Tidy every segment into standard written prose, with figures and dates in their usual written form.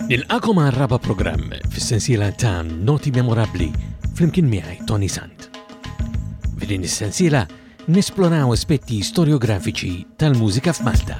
Nilqakom għal raba programm fis-sensiela ta' Noti Memorabbli flimkien miegħi Tony Sant. F'din is-sensiela nesploraw aspetti storiografiċi tal-mużika f'Malta.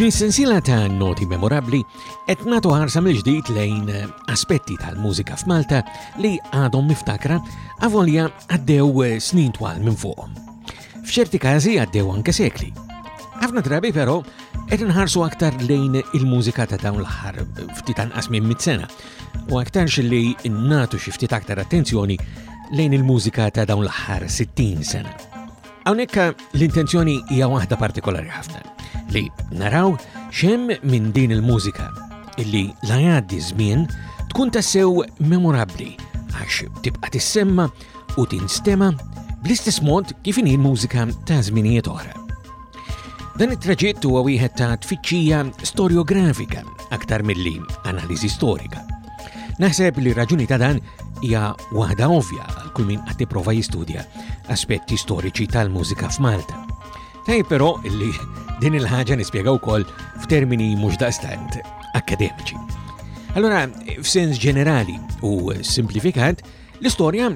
F'din is-sensiela ta' noti memorabbli qed nagħtu ħarsa mill-ġdid lejn aspetti tal-mużika f'Malta li għadhom miftakra avolja għaddew snin twal minn fuqhom. F'ċerti każi għaddew anke sekli. Ħafna drabi però qed inħarsu aktar lejn il-mużika ta' dawn l-aħħar ftit anqas minn mit sena u aktarx li nagħtu xi ftit aktar attenzjoni lejn il-mużika ta' dawn l-aħħar 60 sena. Hawnhekk l-intenzjoni hija waħda partikolari ħafna li naraw xem minn din il-mużika illi la jgħaddi żmien tkun tassew memorabbli għax tibqa' tissemma u tinstema bl-istess mod kif inhi l-mużika ta' żminijiet oħra. Dan it-traġitt huwa wieħed ta' tfittxija storjografika aktar milli analiżi storika. Naħseb li raġuni ta' dan hija waħda ovvja għal kull min qed jipprova jistudja aspetti storiċi tal-mużika f'Malta. Tajjeb però li din il-ħaġa nispjega wkoll f'termini mhux daqstant akademiċi. Allora, f'sens ġenerali u simplifikat, L-istorja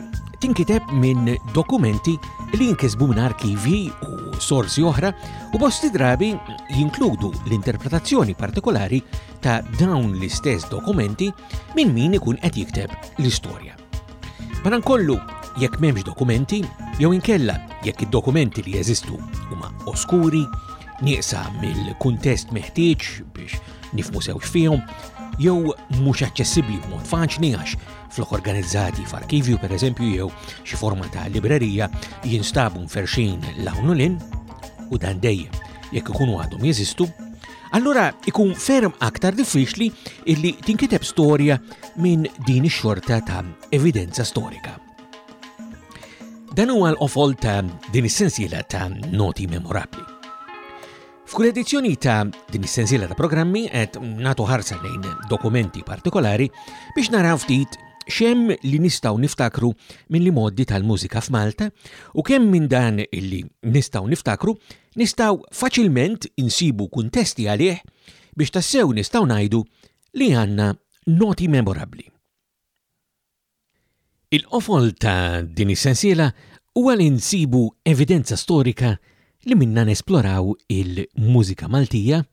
tinkiteb minn dokumenti li jinkisbu minn arkivi u sorsi oħra u bosti drabi jinkludu l-interpretazzjoni partikolari ta' dawn l-istess dokumenti minn min ikun qed jikteb l-istorja. Madankollu, jekk m'hemmx dokumenti, jew inkella jekk id-dokumenti li jeżistu huma oskuri, nieqsa mill-kuntest meħtieġ biex nifmu sewx fihom, jew mhux aċċessibbli b'mod faċli għax flok organizzati f'arkivju pereżempju jew xi forma ta' librerija jinstabu mferxin l-hawn u lin, u dan dejjem jekk ikunu għadhom jeżistu, allura ikun ferm aktar diffiċli illi tinkiteb storja minn din ix-xorta ta' evidenza storika. Dan huwa l-qofol ta' din is-sensiela ta' noti memorabbli. F'kull edizzjoni ta' din is-sensiela ta' programmi qed nagħtu ħarsa lejn dokumenti partikolari biex naraw ftit xem li nistgħu niftakru minn li modi tal-mużika f'Malta u kemm minn dan illi nistgħu niftakru nistgħu faċilment insibu kuntesti għalih biex tassew nistgħu ngħidu li għandna noti memorabbli. Il-qofol ta' din is-sensiela huwa li nsibu evidenza storika li minnha nesploraw il-mużika Maltija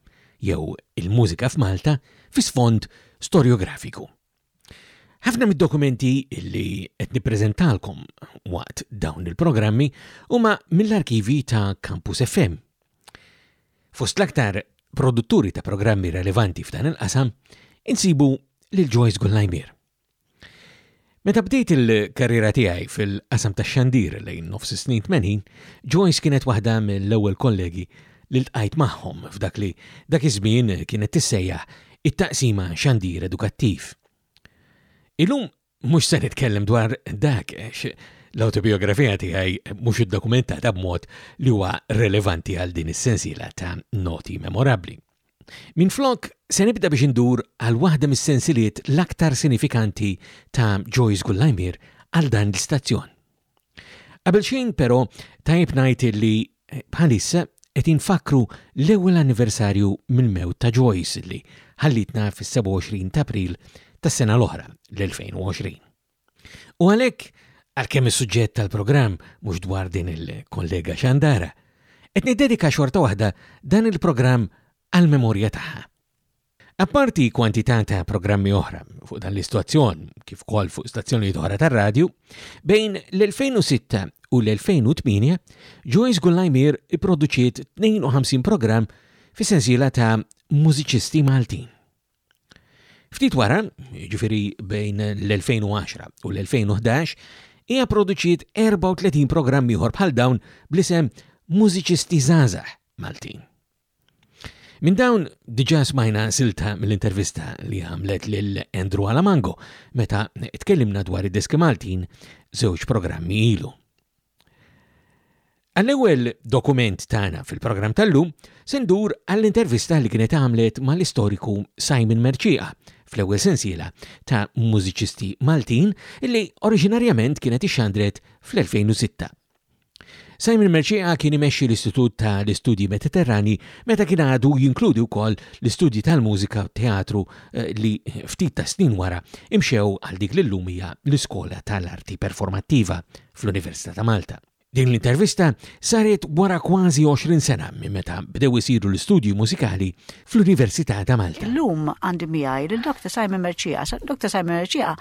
jew il-mużika f'Malta fi sfond storjografiku. Ħafna mid-dokumenti li qed nippreżentalkom waqt dawn il-programmi huma mill-arkivi ta' Campus FM. Fost l-aktar produtturi ta' programmi relevanti f'dan il-qasam insibu lil Joyce Gullajmier. Meta bdejt il-karriera tiegħi fil-qasam tax-xandir lejn nofs is-snin 80, Joyce kienet waħda mill-ewwel kollegi li ltqajt magħhom f'dak li dak iż-żmien kienet tissejjaħ it-taqsima xandir edukattiv. Illum mhux se nitkellem dwar dak għax l-awtobiografija tiegħi mhux iddokumentata b'mod li huwa relevanti għal din is-sensiela ta' noti memorabbli. Minflok, se nibda biex indur għal waħda mis-sensiliet l-aktar sinifikanti ta' Joyce Gullajmier għal dan l-istazzjon. Qabel xejn però tajjeb ngħid li eh, bħalissa qed infakkru l-ewwel anniversarju mill-mewt ta' Joyce li ħallitna fis-27 ta' April tas-sena l-oħra, l-2020. U għalhekk, għalkemm is-suġġett tal-programm mhux dwar din il-kollega xandara, qed niddedika xorta waħda dan il-programm għall-memorja tagħha. Apparti kwantità ta' programmi oħra fuq dan l-istazzjon, kif ukoll fuq stazzjonijiet oħra tar-radju, bejn l-2006 u l-2008, Joyce Gullajmier ipproduċiet 52 programm fis-sensiela ta' Mużiċisti Maltin. Ftit wara, jiġifieri bejn l-2010 u l-2011, hija produċiet 34 programm ieħor bħal dawn bl-isem Mużiċisti Żgħażagħ Maltin. Minn dawn diġà smajna silta mill-intervista li għamlet lil Andrew Alamango meta tkellimna dwar id-diski Maltin żewġ programmi ilu. Għall-ewwel dokument tagħna fil-programm tal-lum se ndur għall-intervista li kienet għamlet mal-istoriku Simon Mercieca fl-ewwel sensiela ta' mużiċisti Maltin li oriġinarjament kienet ixxandret fl-2006. Simon Mercieca kien imexxi l-Istitut ta' l-Istudji Mediterrani meta kien għadu jinkludi wkoll l-istudji tal-mużika u teatru eh, li ftit ta' snin wara imxew għal dik li llum hija l-Iskola tal-Arti Performattiva fl-Università ta' Malta. Din l-intervista saret wara kważi 20 sena minn meta bdew isiru l-istudji mużikali fl-Università ta' Malta. Illum għandi miegħi lil Dr. Simon Mercieca. Dr. Simon Mercieca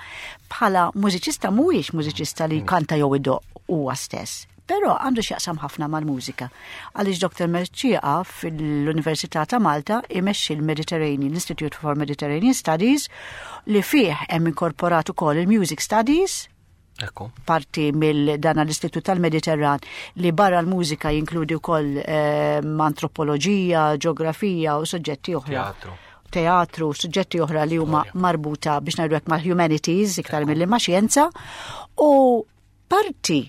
bħala mużiċista mhuwiex mużiċista li jkanta jew idoqq huwa stess. Però għandu x'jaqsam ħafna mal-mużika. Għaliex Dr. Mercieca fil-Università ta' Malta imexxi l-Mediterranean Institute for Mediterranean Studies li fih hemm inkorporat ukoll il-Music Studies, Ekku. Parti mill dan l-Istitut tal-Mediterran li barra l-mużika jinkludi wkoll ehm, antropoloġija, ġeografija u suġġetti oħra. Teatru. Teatru, suġġetti oħra li huma marbuta biex ngħidu hekk mal-humanities iktar milli ma' xjenza. U parti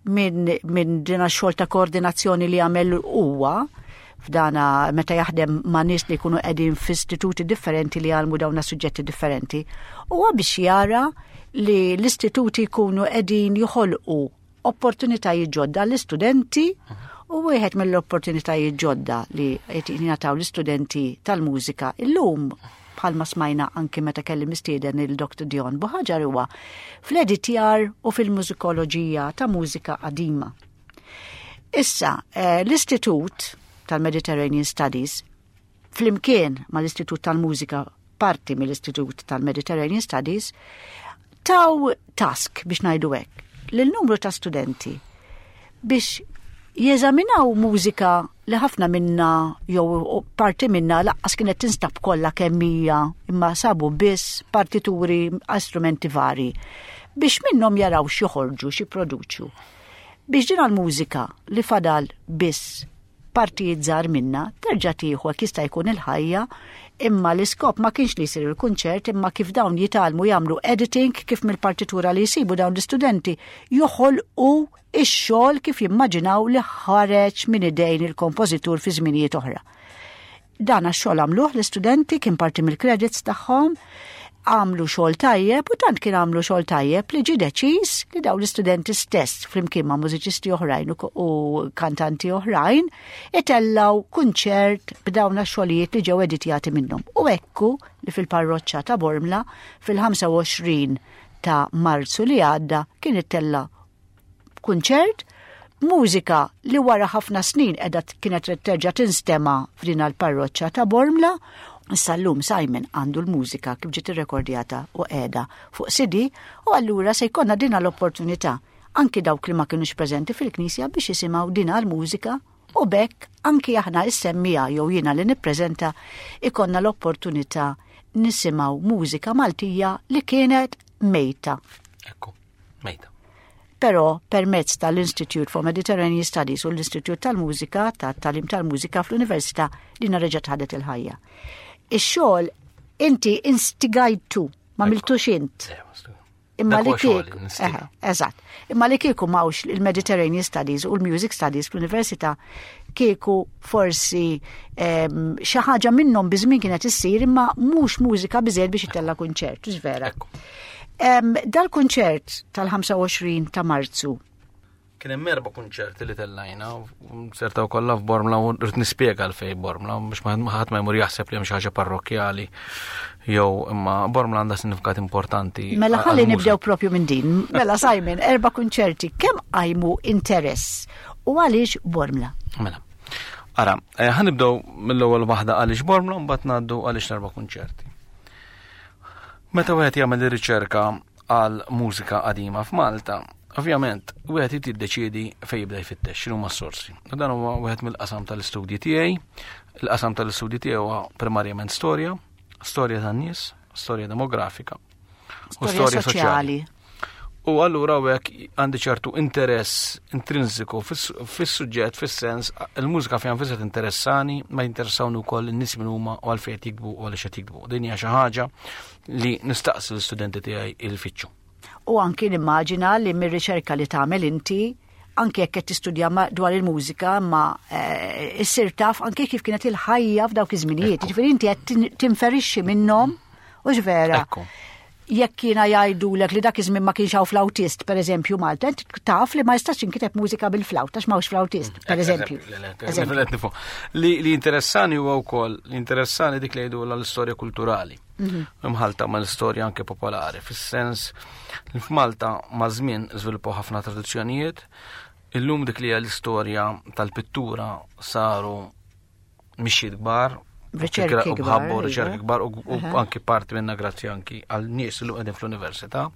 minn min din xogħol ta' koordinazzjoni li għamel huwa f'dana meta jaħdem ma' nies li jkunu qegħdin f'istituti differenti li jgħallmu dawn suġġetti differenti, huwa biex jara li l-istituti jkunu qegħdin joħolqu opportunitajiet ġodda l-istudenti u wieħed mill-opportunitajiet ġodda li qed jingħataw l-istudenti tal-mużika illum bħalma smajna anki meta kelli mistieden il-Dr. Dion Buħaġar huwa fl-editjar u fil-mużikoloġija ta' mużika qadima. Issa, eh, l-Istitut tal-Mediterranean Studies flimkien mal-Istitut tal-Mużika parti mill-Istitut tal-Mediterranean Studies taw task biex ngħidu hekk lil numru ta' studenti biex jeżaminaw mużika li ħafna minna jew parti minna laqqas kienet tinstab kollha kemm hija imma sabu biss partituri għal strumenti vari biex minnhom jaraw x'joħorġu x'jipproduċu. Biex din għall-mużika li fadal biss partijiet żgħar minnha terġa' tieħu hekk jista' jkun il-ħajja imma l-iskop ma kienx li jsir il-kunċert imma kif dawn jitgħallmu jagħmlu editing kif mill-partitura li jsibu dawn l-istudenti joħolqu ix-xogħol kif jimmaġinaw li ħareġ minn idejn il-kompożitur fi żminijiet oħra. Dan għax-xogħol għamluh l-istudenti kien parti mill-credits tagħhom, għamlu xogħol tajjeb u tant kien għamlu xogħol tajjeb li ġie deċiż li dawn l-istudenti stess flimkien ma' mużiċisti oħrajn u kantanti oħrajn itellaw kunċert b'dawn għax-xogħlijiet li ġew editjati minnhom. U ekku li fil-parroċċa ta' Bormla fil-25 ta' Marzu li għadda kien ittella' kunċert mużika li wara ħafna snin qiegħda kienet terġa' tinstema' f'din l-parroċċa ta' Bormla. Issa llum Simon għandu l-mużika kif ġiet irrekordjata u qiegħda fuq CD u allura se jkollna din l-opportunità anki dawk li ma kinux preżenti fil-knisja biex jisimgħu din l-mużika u bekk anki aħna is-semmiegħa jew jiena li nippreżenta ikonna l-opportunità nisimgħu mużika Maltija li kienet mejta. Ekku. Mejta. Però permezz tal-Institute for Mediterranean Studies u l-Istitut tal-Mużika, tat-Tagħlim tal-Mużika fl-Università li reġgħet ħadet il-ħajja. Ix-xogħol inti instigajtu, ma miltux int. Imma li kieku, eżatt. Imma li kieku mawx il-Mediterranean Studies u l-Music Studies fl-Università kieku forsi ehm, xi ħaġa minnhom biżmien kienet issir imma mhux mużika biżejjed biex itella' kunċert, vera. Dal-kunċert tal-25 ta' Marzu. Kien hemm erba' kunċerti li tellajna, sertaw kollha f'Bormla u rrid nispjega għalfejn Bormla biex ma ħadd ma jmur jaħseb li hemm xi ħaġa parrokkjali jew imma Bormla għandha sinifikat importanti. Mela ħalli nibdew propju minn din. Mela Simon, erba' kunċerti kemm qajmu interess u għaliex Bormla? Mela. Ara, eh, ħanibdew mill-ewwel waħda għaliex Bormla u mbagħad ngħaddu għaliex l-erba' kunċerti. Meta wieħed jagħmel ir-riċerka għal mużika qadima f'Malta, ovvjament wieħed irid jiddeċiedi fejn jibda jfittex x'inhuma s-sorsi. U dan huwa wieħed mill-qasam tal-istudji tiegħi. Il-qasam tal-istudji tiegħu huwa primarjament storja, storja tan-nies, storja demografika u storja soċjali. U allura hekk għandi ċertu interess intrinsiku fis-suġġett, fis-sens, il-mużika fejn nfisha interessani, ma jinteressawni wkoll in-nies min huma u għalfejn qed jiktbu u għaliex qed jiktbu. Din hija xi ħaġa li nistaqsi l-istudenti tiegħi il-fittxu. U anki nimmaġina li mir-riċerka li tagħmel inti anke jekk qed tistudja dwar il-mużika, ma eh, issir taf anke kif kienet il-ħajja f'dawk iż-żminijiet. Ġifieri inti qed tinferixxi minnhom u vera. Jekk jiena jgħidulek li dak iż-żmien ma kienx hawn flautist, pereżempju Malta, inti taf li ma jistax inkiteb mużika bil-flawt għax m'hawnx flautist, mm, pereżempju. Li li interessani huwa wkoll, li interessani dik li jgħidu l-istorja kulturali. Mhm. Imħalta ma l-istorja anke popolari, fis-sens li f'Malta ma' żmien żviluppaw ħafna tradizzjonijiet, illum dik li hija l-istorja tal-pittura saru mixjiet kbar, riċerki kbar, riċerki kbar u anki parti minna grazzi anki għal nies li qegħdin fl-università.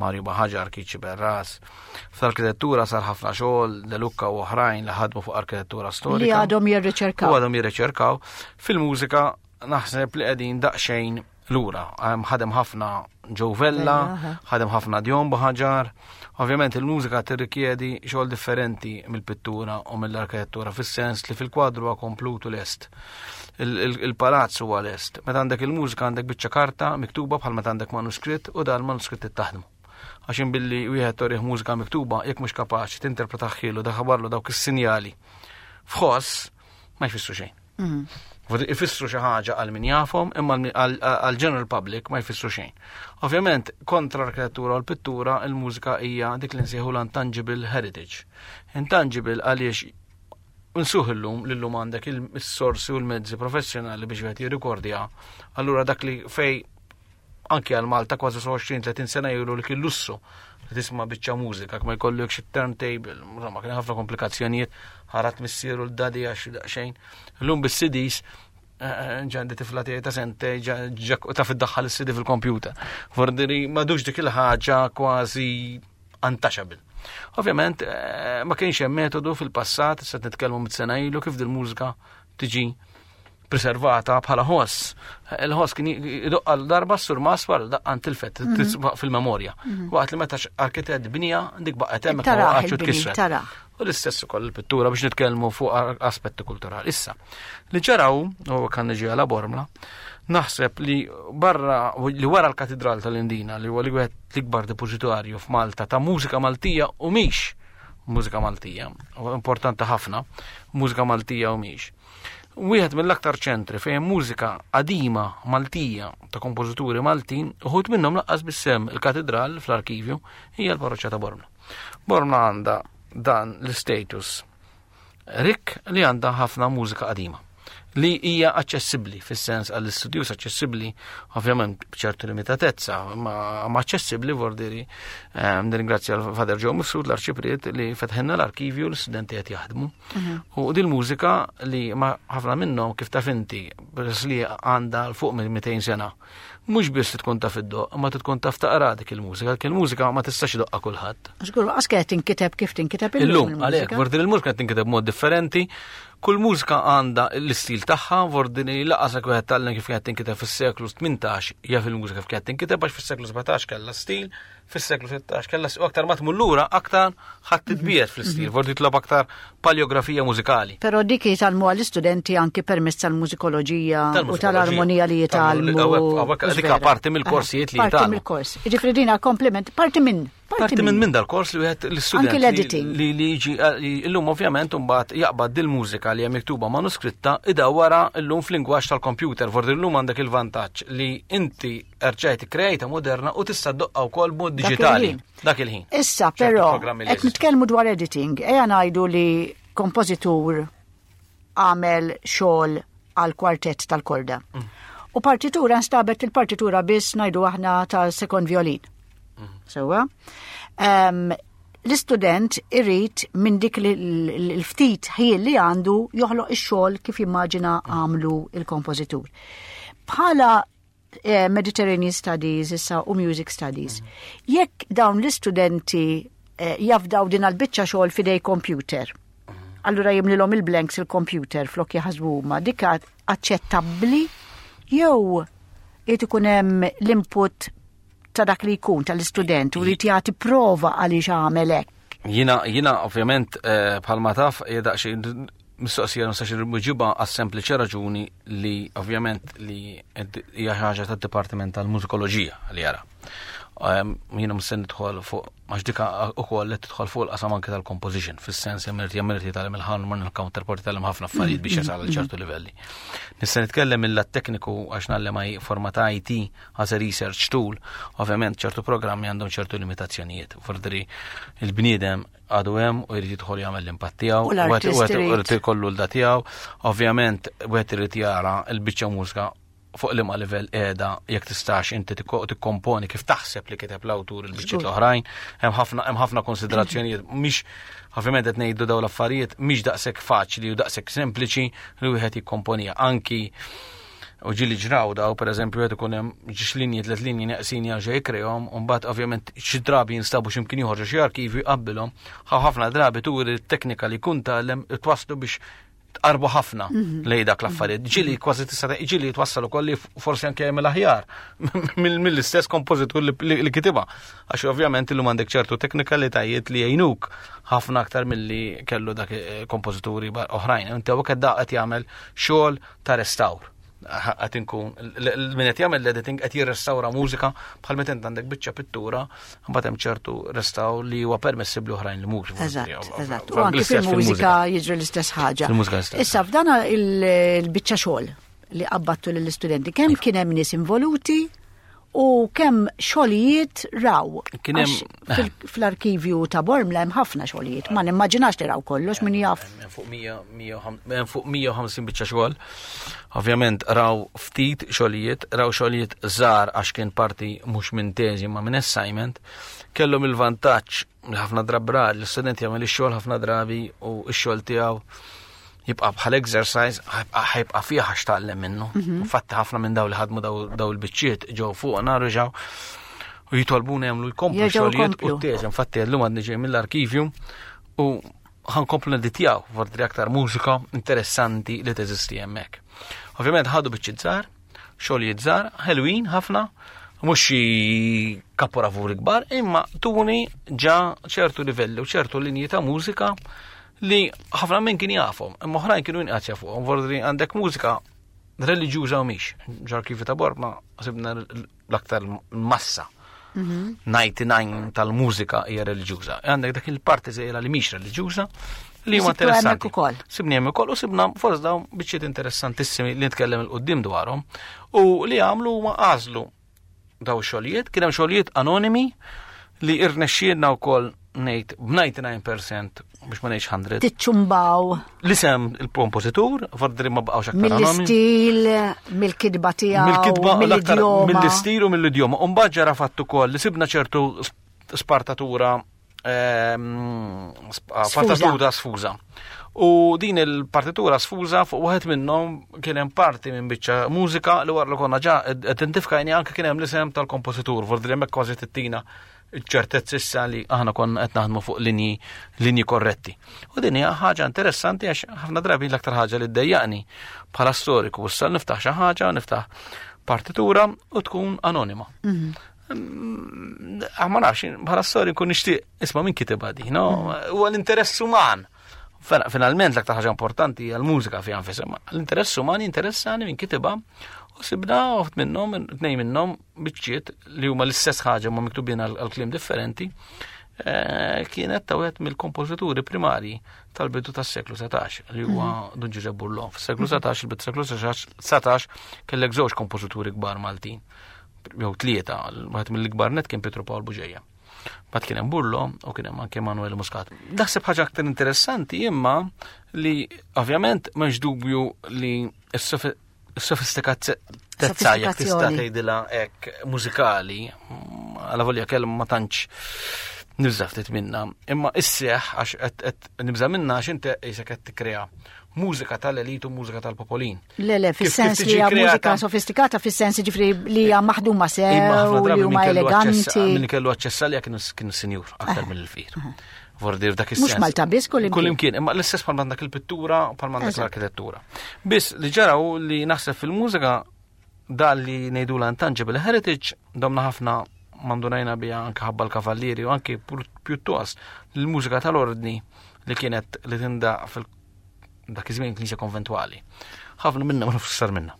Mario Baħaġar, Kiċi Berras. Fl-arkitettura sar ħafna xogħol, De Lucca u oħrajn li ħadmu fuq arkitettura storika. Li għadhom jirriċerkaw. U għadhom jirriċerkaw. Fil-mużika naħseb li qegħdin daqsxejn lura. Ħadem ħafna Joe Vella, ħadem ħafna Dion Buħaġar. Ovvjament il-mużika tirrikjedi xogħol differenti mill-pittura u mill-arkitettura fis-sens li fil-kwadru huwa komplut u lest. Il-palazz huwa lest. Meta għandek il-mużika għandek biċċa karta miktuba bħal meta għandek manuskritt u dan manuskritt taħdmu. Għax billi wieħed torih mużika miktuba jekk mhux kapaċi tinterpretaħħilu daħabarlu dawk is-sinjali f'ħoss ma jfissru xejn. Mm. Ifissru xi ħaġa għal min jafhom, imma għal general public ma jfissru xejn. Ovvjament, kontra l-arkitettura u l-pittura, il-mużika hija dik li nsejħu l-untangible heritage. Intangible għaliex nsuħ illum li llum għandek il-sorsi u l-mezzi professjonali biex wieħed jirrikordja. Allura dak li fej anki għal Malta kważi 20-30 sena ilu li kien lussu li tisma' biċċa mużika, ma jkollok xi turntable, insomma kien ħafna komplikazzjonijiet, ħarat missieru l-dadi għax daqsxejn. Illum bis-CDs eh, eh, ġandi tifla tiegħi ta' sente ta' fid-daħħal is-CD fil-kompjuter. Fordiri madux dik il-ħaġa kważi untouchable. Ovvjament, eh, ma kienx hemm metodu fil-passat, se nitkellmu mit-sena ilu kif dil-mużika tiġi preservata bħala ħoss. Il-ħoss kien idoqqa darba s-surmas wara daqqa ntilfet mhm. fil-memorja. Mhm. Waqt li meta arkitett bnija dik baqgħet hemmhekk ma waqgħetx u tkissret. U l-istess ukoll il-pittura biex nitkellmu fuq aspetti kulturali. Issa, li ġaraw, u kan niġi għala Bormla, naħseb li barra li wara l-Katedral tal-Indina li huwa li wieħed l-ikbar depożitarju f'Malta ta' mużika Maltija u mhix mużika Maltija, u importanti ħafna, mużika Maltija u mhix. Wieħed mill-aktar ċentri fejn mużika qadima Maltija ta' kompożituri Maltin, uħud minnhom laqqas bissem il-katedral fl-arkivju hija l-parroċċa ta' Bormla. Bormla għandha dan l-status rik li għandha ħafna mużika qadima li hija aċċessibbli fis-sens għall-istudjus aċċessibbli ovvjament b'ċertu limitatezza, ma aċċessibbli vordiri ehm, nirringrazzja l-Fader Joe Mifsud l-Arċipriet li fetħenna l-arkivju l-istudenti qed jaħdmu. Mhm. U din mużika li ma ħafna minnhom kif taf inti peress li għandha l fuq minn 200 sena. Mhux biss tkun taf id-doq, ma tkun taf taqra dik il-mużika, dik il-mużika ma tistax doqqa kulħadd. Żgur, għax qed tinkiteb kif tinkiteb illum. Illum, għalhekk, vordin il-mużika tinkiteb mod differenti, Kull mużika għandha l-istil tagħha, vordini laqas jekk wieħed tgħallem kif kienet tinkiteb fis-seklu 18 jaf il-mużika kif kienet tinkiteb għax fis-seklu 17 kellha stil, fis-seklu 16 kellha u aktar ma tmur lura aktar ħadd titbiegħed fl-istil, vordi titlob aktar paleografija mużikali. Però dik jitgħallmuha l-istudenti anki permezz tal-mużikoloġija u tal-armonija li jitgħallmu. Dik parti mill-korsijiet li jitgħallmu. Parti mill-kors. Jiġifieri din kompliment, parti minn Parti minn minn dal-kors li wieħed l-istudent. Anki l-editing. Li li jiġi eh, illum ovvjament imbagħad jaqbad dil-mużika li hemm miktuba manuskritta idawwara llum f'lingwaġġ tal-computer. Fordi llum għandek il-vantaġġ li inti rġajt krejta moderna u tista' doqqa wkoll b'mod diġitali. Dak il-ħin. Issa però qed nitkellmu dwar editing, ejja ngħidu li kompożitur għamel xogħol għal kwartett tal-korda. Mm. U partitura nstabet il-partitura biss ngħidu aħna ta' second violin. Mm. Sewa. Um, l-istudent irrid minn dik l-ftit ħiel li għandu joħloq ix-xogħol kif jimmaġina mm. għamlu il-kompożitur. Bħala eh, Mediterranean Studies issa u Music Studies. Mm. Jekk dawn l-istudenti eh, jafdaw din għal-biċċa xogħol fidej computer mm. Allura jimlilhom il-blanks il-computer flok jaħsbu huma. Dik aċċettabbli jew irid ikun hemm l-input ta' dak li jkun tal-istudent u jrid jagħti prova għaliex għamel hekk. Jina, jina ovvjament eh, bħalma taf hija daqsxejn mistoqsija nistax irmuġiba għas sempliċi raġuni li ovvjament li hija ħaġa tad-Dipartiment tal-Mużikoloġija li jara. Ehm, jiena mhux se nidħol fuq għax dika ukoll qed tidħol fuq il-qasam anke tal-composition, fis-sens hemm irid jagħmel irid jitgħallem il-ħarmon, il-counterpart jitgħallem ħafna affarijiet biex jasal għal ċertu livelli. Nista' nitkellem mill-lat tekniku għax ngħallem forma ta' IT as a research tool, ovvjament ċertu programmi għandhom ċertu limitazzjonijiet. Fordri il-bniedem għadu hemm u jrid jidħol jagħmel l-impatt tiegħu, u jrid ikollu l-da tiegħu, ovvjament wieħed irid jara l-biċċa mużika fuq liema livell qiegħda jekk tistax inti tikkomponi kif taħseb li kiteb l-awtur il-biċċiet l-oħrajn, hemm ħafna hemm ħafna konsiderazzjonijiet mhix ovvjament qed ngħidu dawn l-affarijiet mhix daqshekk faċli u daqshekk sempliċi li wieħed jikkomponija anki u ġili ġraw daw, per eżempju, qed ikun hemm ġiex linji tliet linji neqsin jerġa' jikrehom, u mbagħad ovvjament xi drabi jinstabu x'imkien ieħor xi arkivju jqabbilhom, ħafna drabi turi t-teknika li jkun tgħallem twasslu biex tqarbu ħafna mhm. lej dak l-affarijiet. Ġili kważi tista' ġili twassal ukoll li forsi anke jagħmel aħjar mill-istess kompożitur li kitibha. Għax ovvjament illum għandek ċertu teknikalitajiet li jgħinuk ħafna aktar milli kellu dak eh, kompożituri oħrajn. Inti hawnhekk qed qed jagħmel xogħol ta' restawr qed inkun min qed jagħmel l-editing qed jirrestawra mużika bħal meta int għandek biċċa pittura mbagħad hemm ċertu restawr li huwa permessibbli oħrajn li mhux. Eżatt, eżatt. U anke fil-mużika jiġri l-istess ħaġa. Issa f'dan il-biċċa xogħol li qabbattu lill-istudenti, kemm iva. kien hemm nies involuti u kemm xogħlijiet raw. Kien hemm fl-arkivju ta' Bormla hemm ħafna xogħlijiet, ma nimmaġinax li raw kollox min jaf. Fuq 150 biċċa xogħol. Ovvjament raw ftit xogħlijiet, raw xogħlijiet żgħar għax kien parti mhux minn teżi ma minn assignment, kellhom il-vantaġġ li ħafna drabi l-istudent jagħmel ix-xogħol ħafna drabi u x-xogħol tiegħu jibqa' bħal exercise ħajbqa' fih għax tgħallem minnu. Mhm. Fatti ħafna minn daw li ħadmu daw il-biċċiet ġew fuq reġgħu u jitolbuna jagħmlu jkomplu xogħlijiet u teżi. Infatti llum għadni ġej mill-arkivju u ħankomplu neditjaw fordri aktar mużika interessanti li teżisti hemmhekk. Ovvjament ħadu biċċiet żgħar, xogħlijiet żgħar, ħelwin ħafna, mhux xi kaporavuri kbar, imma tuni ġa ċertu livelli u ċertu linji ta' mużika li ħafna minn kien jafhom, imma oħrajn kienu jinqas jafuhom, vordri għandek mużika reliġjuża u mhix. Ġarkivi ta' Borma sibna l-aktar massa. 99 mhm. tal-mużika hija reliġjuża. Għandek dak il-parti żgħira li mhix reliġjuża li huma interessanti. Sibni hemm ukoll u sibna fost dawn biċċiet interessantissimi li nitkellem il-qudiem dwarhom u li għamlu huma għażlu daw xogħlijiet, kien hemm xogħlijiet anonimi li irnexxielna wkoll ngħid b'99% biex ma ngħidx 100. Tiċċumbaw. L-isem il-kompożitur, fordri ma baqgħux aktar Mill-istil, mill-kitba tiegħu. Mill-kitba mill-idjoma. Mill-istil u mill-idjoma. U mbagħad ġara fatt ukoll li sibna ċertu spartatura ehm, partitura sfuża. U din il-partitura sfuża fuq wieħed minnhom kien hemm parti minn biċċa mużika li wara li konna ġa identifikajni anke kien hemm l-isem tal-kompożitur, vordri hemmhekk kważi tittina ċertezza issa li aħna konna qed naħdmu fuq linji linji korretti. U din hija ħaġa interessanti għax ħafna drabi l-aktar ħaġa li ddejjaqni bħala storiku issa niftaħ xi ħaġa, niftaħ partitura u tkun anonima. Mhm. Mm, ah, ma nafx, bħala storja nkun nixtieq isma' min kitibha di, no? Mm. Huwa l-interess uman. Finalment l-aktar ħaġa importanti hija l-mużika fiha nfisha, l-interess uman interessani min kitibha u sibna uħt minnhom, tnej minnhom biċċiet li huma l-istess ħaġa ma miktubin għal kliem differenti, eh, kienet ta' wieħed mill-kompożituri primarji tal-bidu tas-seklu 17 li huwa mhm. Dun Ġużepp Burlon. Fis-seklu 17, il-bidu seklu 17 kellek żewġ kompożituri kbar Maltin jew tlieta, wieħed mill-ikbar net kien Pietro Pawl Buġeja. Bat kien hemm Burlo u kien hemm anke Manuel Muscat. Naħseb ħaġa aktar interessanti imma li ovvjament m'hemmx dubju li s-sofistikatezza jekk tista' tgħidilha hekk mużikali, għala volja kelma ma tantx nibża ftit minna, imma isseħ għax qed nibża minna għax inti qisek qed tikkrea mużika tal-elit u mużika tal-popolin. Le, le, fis-sens li hija mużika sofistikata, fis-sens ġifri li hija maħduma sew, li huma eleganti. Min kellu aċċess għalija kienu sinjur aktar eh. mill-fqir. Eh. Vordir dak is-sens. Mhux Malta biss kull Kull imkien, imma l-istess bħal għandek il-pittura, bħal għandek l-arkitettura. Biss li ġara hu li naħseb fil-mużika dan li ngħidu l-intangible heritage domna ħafna mandunajna bija anke ħabba l-kavallieri u anke pjuttost l-mużika tal-ordni li kienet li tindaq fil dak iż-żmien knisja konventwali. Ħafna minna ma nafx sar minna.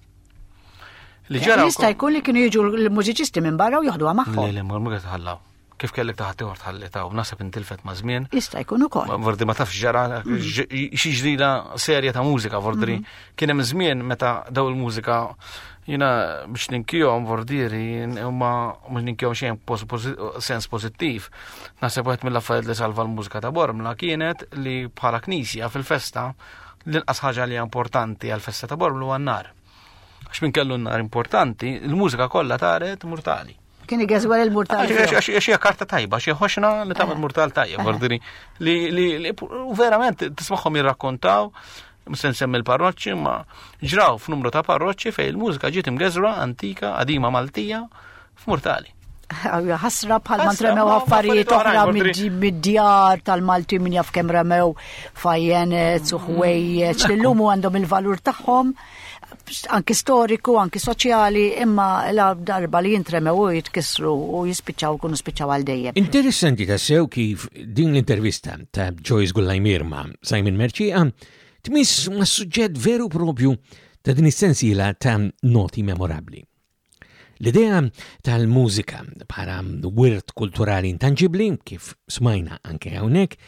Li ġara Jista' jkun li kienu jiġu l-mużiċisti minn barra u joħduha magħhom. Le, le, ma tħallaw. Kif kellek taħt ieħor tħalli ta' u naħseb intilfet ma' żmien. Jista' jkun ukoll. Vordi ma tafx ġara xi ġdida serja ta' mużika, vordri. Kien hemm żmien meta daw il-mużika jiena biex ninkihom vordieri huma mhux ninkihom xejn sens pożittiv. Naħseb wieħed mill-affarijiet li salva l-mużika ta' Bormla kienet li bħala knisja fil-festa l-inqas ħaġa li hija importanti għall-festa ta' Bormla huwa n-nar. Għax minn kellu n-nar importanti, il-mużika kollha taret murtali. Kien igeżwer il-murtal. Għax hija karta tajba, xi ħoxna li tagħmel eh. murtal tajjeb, ordini li u verament tismagħhom jirrakkontaw se nsemmi l-parroċċi, ma ġraw f'numru ta' parroċċi fejn il-mużika ġiet imgeżra antika, qadima Maltija, f'murtali. Ħasra bħal ma tremew affarijiet oħra mid-djar tal-Malti min jaf kemm remew fajjenet u ħwejjeġ li llum għandhom il-valur tagħhom anki storiku, anki soċjali, imma la darba li jintremew u jitkissru u jispiċċaw kunu spiċċaw għal dejjem. Interessanti tassew kif din l-intervista ta' Joyce Gullajmir ma' Simon Mercieca tmiss ma' suġġett veru propju ta' din is-sensiela ta' noti memorabbli. L-idea tal-mużika bħala wirt kulturali intanġibbli, kif smajna anke hawnhekk,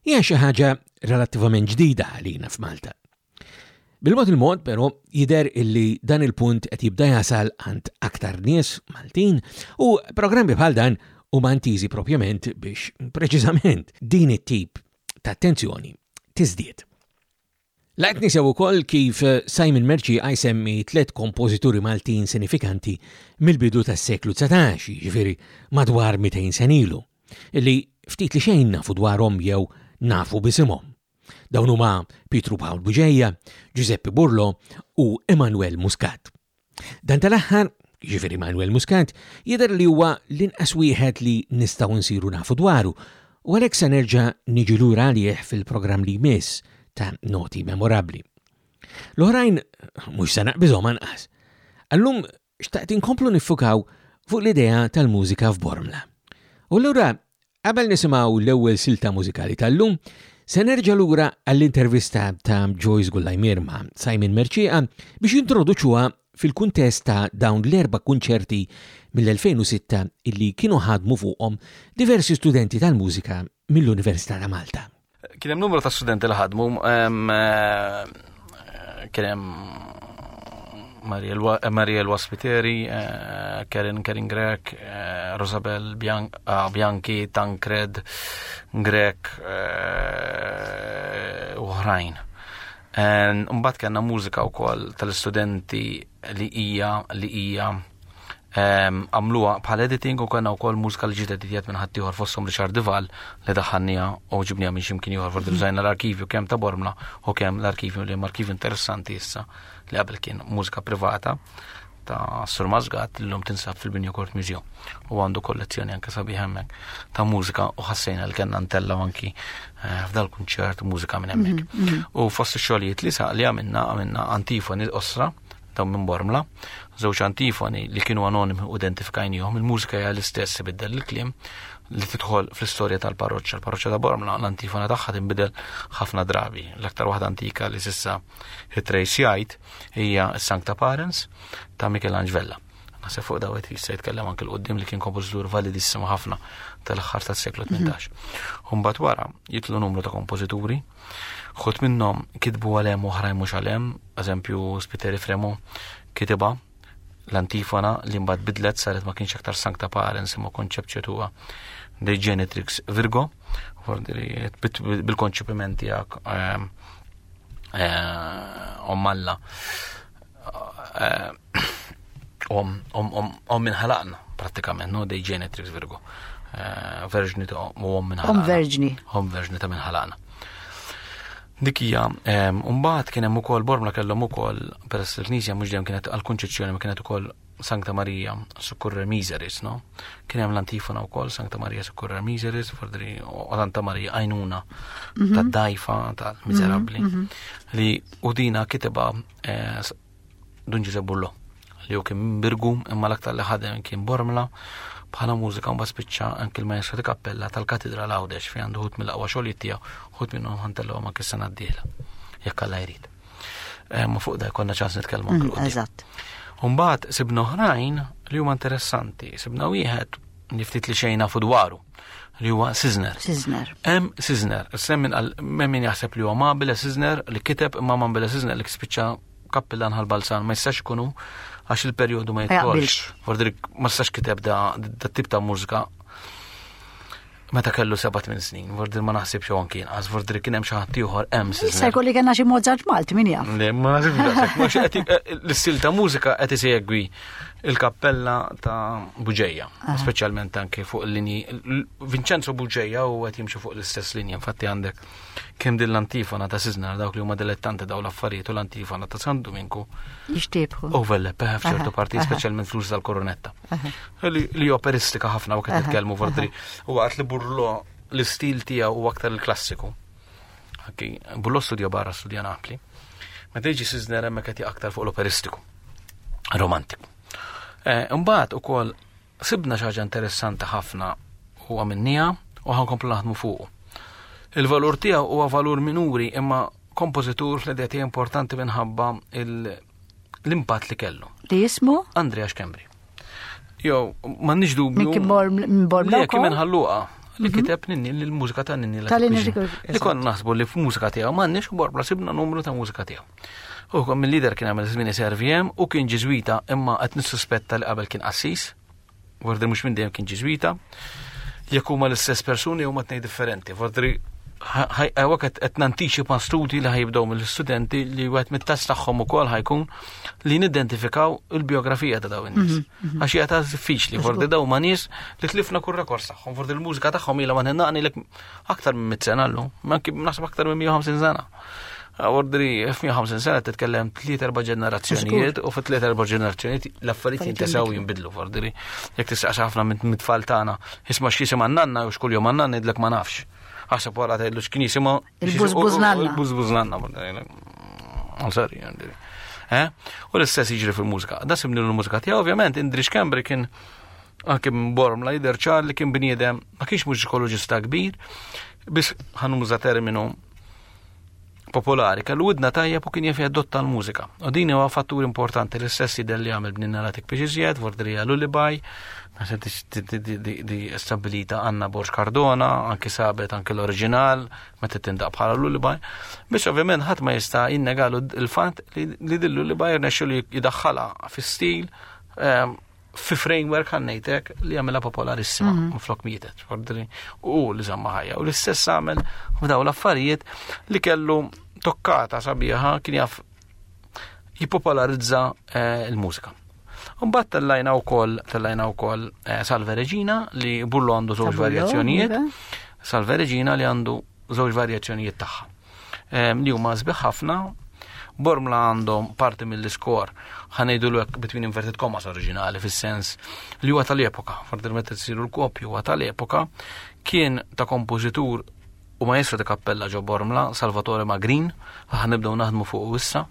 hija xi ħaġa relattivament ġdida għalina f'Malta. Bil-mod il-mod, però, jidher illi dan il-punt qed jibda jasal għand aktar nies Maltin u programmi bħal dan huma intiżi propjament biex preċiżament din it-tip ta' attenzjoni tiżdied. Laqt nisew ukoll kif Simon Mercieca jsemmi tliet kompożituri Maltin sinifikanti mill-bidu tas-seklu 19, jiġifieri madwar 200 sena ilu, li ftit li xejn nafu dwarhom jew nafu b'isimhom. Dawn huma Pietru Pawl Bugeja, Giuseppe Burlo u Emanuel Muscat. Dan tal-aħħar, jiġifieri Manuel Muscat, jidher li huwa l-inqas wieħed li nistgħu nsiru nafu dwaru u għalhekk se nerġa' niġi lura għalih fil-programm li jmiss ta' Noti Memorabbli. L-oħrajn mhux se naqbiżhom anqas. Għallum xtaqt inkomplu niffukaw fuq l-idea tal-mużika f'Bormla. U allura qabel nisimgħu l-ewwel silta mużikali tal-lum, se nerġa' lura għall-intervista ta' Joyce Gullajmier ma' Simon Mercieca biex jintroduċuha fil-kuntest ta' dawn l-erba' kunċerti mill-2006 illi kienu ħadmu fuqhom diversi studenti tal-mużika mill-Università ta' Malta. Kien hemm numru ta' studenti li ħadmu, kien hemm Mariel Waspiteri, eh, Karen Karen Grek, eh, Rosabel ah, Bianchi, Tancred Grek eh, u oħrajn. Mbagħad kellna mużika wkoll tal-istudenti li hija li hija għamluha bħal editing u kellna wkoll mużika li ġiet editjat minn ħaddieħor fosthom Richard Dival li daħħalniha u ġibniha minn x'imkien ieħor forsi użajna l-arkivju kemm ta' Bormla u kemm l-arkivju li hemm arkivju interessanti issa li qabel kien mużika privata ta' Sur Masgat li l-lum tinsab fil-Binja Court Museum u għandu kollezzjoni anke sabiħ hemmhekk ta' mużika u ħassejna li kellna ntellgħu anki eh, f'dal kunċert mużika minn hemmhekk. Mhm, mhm. U fost ix-xogħlijiet li sa li għamilna għamilna antifoni osra dawn minn Bormla, żewġ antifoni li kienu anonimi u identifikajnihom, il-mużika hija l-istess ibiddel il-kliem li tidħol fl-istorja tal-parroċċa. Il-parroċċa ta' Bormla l-antifona tagħha tinbidel ħafna drabi. L-aktar waħda antika li s'issa hitrejsjajt hija s-Sancta Parens ta' Michelangelo Vella. Naħseb fuq dawet jista' jitkellem anke l-qudiem li kien kompożitur validissimu ħafna tal-aħħar tas-seklu 18. Mhm. U mbagħad wara jitlu numru ta' kompożituri, ħut minnhom kitbu għal hemm oħrajn mhux għal hemm, eżempju Spiteri Fremo kitibha l-antifona li mbagħad bidlet saret ma kienx aktar Sancta Parens imma Conceptio Tua de Genetrix Virgo, bil-konċepiment tiegħek ehm, eh, om Alla eh, om om minn ħalaqna prattikament, no dei Genetrix Virgo. Eh, verġni ta' u om minn ħalaqna. Om verġni. Om verġni ta' minn ħalaqna. Dik hija, mbagħad kien hemm ukoll Bormla kellhom ukoll peress il-Knisja mhux dejjem kienet għall-Kunċizzjoni ma kienet ukoll Sancta Maria Succurrer Miseris, no? Kien hemm l-antifona wkoll Sancta Maria Succurrer Miseris, fordri u Santa Maria għajnuna mhm. tad-dajfa tal-miżerabbli mhm, mhm. li u dina kiteba eh, Dun Ġużepp Bullo li hu kien Birgu imma l-aktar li ħadem kien Bormla bħala mużika mbagħad spiċċa anki l-maestro di kappella tal-Katedral Għawdex fejn għandu ħut mill-aqwa xogħlijiet tiegħu, ħut minnhom ħantellhom anki s-sena d-dieħla. Jekk Alla jrid. Eh, ma fuq da jkollna ċans nitkellmu anke mm, Eżatt. Mbagħad sibna oħrajn li huma interessanti, sibna wieħed li ftit li xejn nafu dwaru li huwa Sisner. Sisner. Hemm Sisner, semmin għal min jaħseb li huwa Mabile Sisner li kiteb imma Mabile Sisner li spiċċa kappillan ħal-Balzan ma jistax ikunu għax il-perjodu ma jidħolx. Fordri ma jistax kiteb da, da tip ta' mużika meta kellu 7-8 snin, vordri ma naħsibx u anki inqas, vordri kien hemm xi ħadd ieħor hemm Issa jkolli kellna xi Mozart Malti min jaf. Le, ma naħsibx eh, l-istil ta' mużika qed isegwi il-kappella ta' Buġeja, speċjalment anke fuq il-linji. Vincenzo Buġeja u qed jimxi fuq l-istess linja, infatti għandek Kemm din l-antifona ta' Siznar dawk li huma dilettanti daw l-affarijiet u l-antifona ta' San Duminku. Jixtiebħu. Overlap, eh, f'ċertu parti, speċjalment fl-uż tal-koronetta. Li operistika ħafna u qed nitkellmu vordri. U waqt li Burlo l-istil tiegħu huwa aktar il-klassiku. Burlo studja barra studja Napli. Meta jiġi Sizner hemmhekk qed aktar fuq l-operistiku. Romantiku. Eh, imbagħad ukoll Sibna xi ħaġa interessanti ħafna u għamilniha u ħankomplu naħdmu fuqu. Il-valur tiegħu huwa valur minuri imma kompożitur fl-idea tiegħi importanti minħabba l-impatt li kellu. Li jismu? Andrea Schembri. Jew, m'għandniex dubju. Min kien minn Li kien minn ħalluqa li mhm. kiteb ninni l-mużika ta' ninni li konna naħsbu li f'mużika tiegħu m'għandniex u borbla sibna numru ta' mużika tiegħu. U mill-lider kien għamel żmien SRVM u kien ġiżwita imma qed nissuspetta li qabel kien qassis. Vordri mhux minn dejjem kien ġiżwita. Jekk huma l-istess persuni huma tnejn differenti. Vordri għawek qed nantiċipa studji li ħajibdew mill-istudenti li wieħed mit-test tagħhom ukoll ħajkun li nidentifikaw il-biografija ta' dawn in-nies. Mhm, mhm. Għax hija ta' diffiċli, fordi dawn ma' nies li tlifna kull rekord tagħhom, fordi l-mużika tagħhom ilha ma nħennaqni lek aktar minn mit sena llum, naħseb aktar minn 150 sena. Ordri, f-150 sena titkellem tliet erba' ġenerazzjonijiet u fit tliet erba' ġenerazzjonijiet l-affarijiet jintesaw jinbidlu ordri. Jekk tistaqsi ħafna minn tfal tagħna, isma' x'jisimha nanna u x'kull jum nanna ngħidlek ma nafx. Aħseb wara tgħidlu x'kien jisimha. Il-bużbuż nanna. Il-bużbuż nanna. Sorry, eh? U l-istess jiġri fil-mużika. Da simni l-mużika tiegħu, ovvjament, Indri Xkembri kien anke minn Bormla jidher ċar li kien bniedem ma kienx mużikoloġista kbir, biss ħanuża terminu popolari, kellu widna tajjeb u kien jaf jadotta l-mużika. U din huwa fattur importanti l-istess jidher li għamel bnina latik biex iżjed, vordrija lullaby, naħseb di stabilita Anna Borg Cardona, anki sabet anki l-oriġinal, meta tindaq bħala lullaby. Biex ovvjament ħadd ma jista' jinnegalu l-fatt li din lullaby rnexxu li jidaħħalha fi stil ehm, fi framework ħannejtek li għamela popolarissima mm -hmm. flok mietet, u li zamma ħajja. U l-istess għamel f'daw l-affarijiet li kellu tokkata sabiħa kien jaf jipopolarizza eh, il-mużika. Mbagħad tellajna wkoll tellajna wkoll eh, Salve Regina li Bullo għandu żewġ varjazzjonijiet. Iva. Salve Regina li għandu żewġ varjazzjonijiet tagħha. Li huma sbieħ ħafna. Bormla għandhom parti mill-iskor ħanejdu l between inverted commas oriġinali fis-sens li huwa tal-epoka, forsi meta tsiru l-kopju huwa tal-epoka, kien ta' kompożitur u maestro ta' kappella ġo Bormla, Salvatore Magrin, ħanibdew naħdmu fuq issa,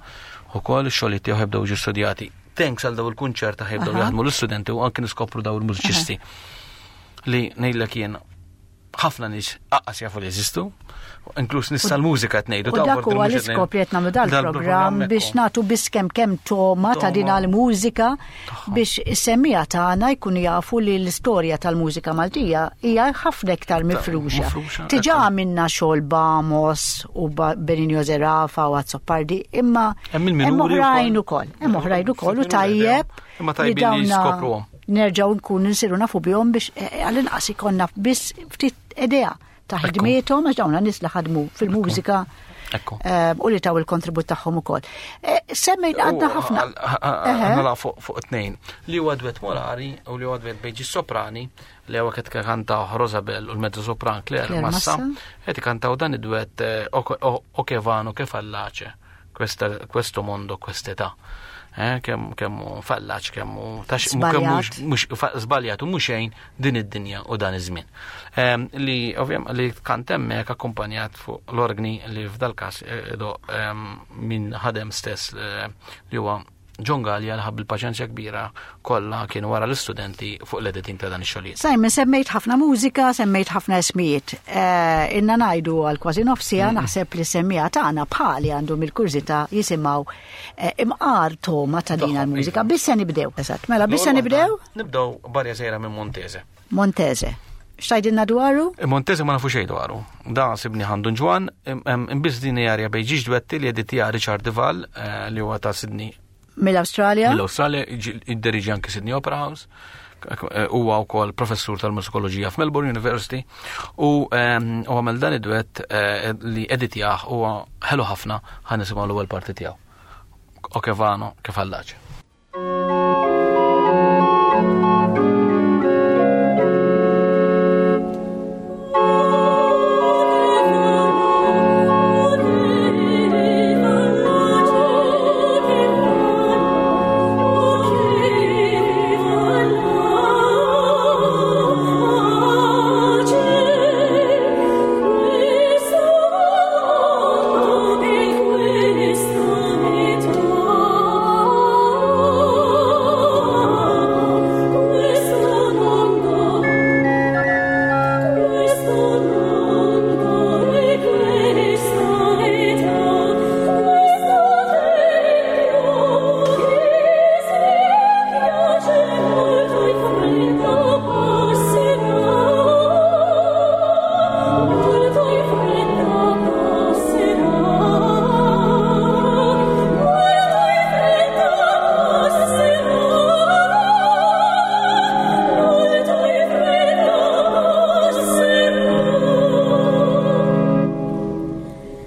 ukoll ix-xogħlijiet tiegħu ħebdew ġi studjati. Thanks għal daw il-kunċert ħajbdew jaħdmu l-istudenti u anke niskopru daw il-mużiċisti li ngħidlek jien ħafna nies aqqas jafu li jeżistu, inkluż nies tal-mużika qed ngħidu. U dak huwa l-iskop li qed nagħmlu dal-programm biex nagħtu biss kemm kemm toma ta' din għall-mużika biex is-semmija tagħna jkunu jafu li l-istorja tal-mużika Maltija hija ħafna iktar mifruxa. Diġà għamilna xogħol Bamos u Benigno Zerafa u Azzopardi, imma hemm oħrajn ukoll. Hemm oħrajn ukoll u tajjeb. Imma tajbin li jiskopruhom. Nerġgħu nkunu nsiru nafu bihom biex eh, għall-inqas ikollna biss ftit idea ta' ħidmiethom għax dawn nies li ħadmu fil-mużika. Eh, u li taw il-kontribut tagħhom ukoll. Eh, semmejt għadna ħafna. Għala fuq tnejn. Li huwa dwet Molari u li huwa dwet bejġi soprani li huwa qed kantaw Rosabel u l-mezzo sopran Claire Massa, qed ikantaw dan id-dwet eh, O che vano che fallace questo mondo quest'età. Eh, kemm kemm fallaċ, kemm mhux żbaljat u mhux xejn din id-dinja u dan iż-żmien. Ehm, li ovvjament li kant hemmhekk akkumpanjat fuq l-orgni li f'dal-każ eh, ehm, min ħadem stess eh, li huwa John Gallia li ħab il-paċenzja kbira kollha kien wara l-istudenti fuq l-editing ta' dan ix-xogħlijiet. Simon, semmejt ħafna mużika, semmejt ħafna ismijiet. Eh, inna ngħidu għal kważi nofsija naħseb li semmija tagħna bħali għandhom il-kurżità jisimgħu eh, imqar toma ta' din il-mużika. Biss se nibdew. Eżatt, mela biss se nibdew? Nibdew barja sejra minn Montese. Montese. X'tajdilna dwaru? Eh, Montese ma nafu xejn dwaru. Da sibni ħandu ġwan, imbiss din jarja bejn ġiġ dwetti li editija Richard Dival eh, li huwa ta' Sydney. Mill-Awstralja? Mill-Awstralja, id-deriġi anki Sydney Opera House eh, huwa wkoll professur tal-musikoloġija f'Melbourne University u għamel dan id-dwett li editjah huwa ħelu ħafna ħan nisimgħu l-ewwel parti tiegħu. Okevano kif għallaċ.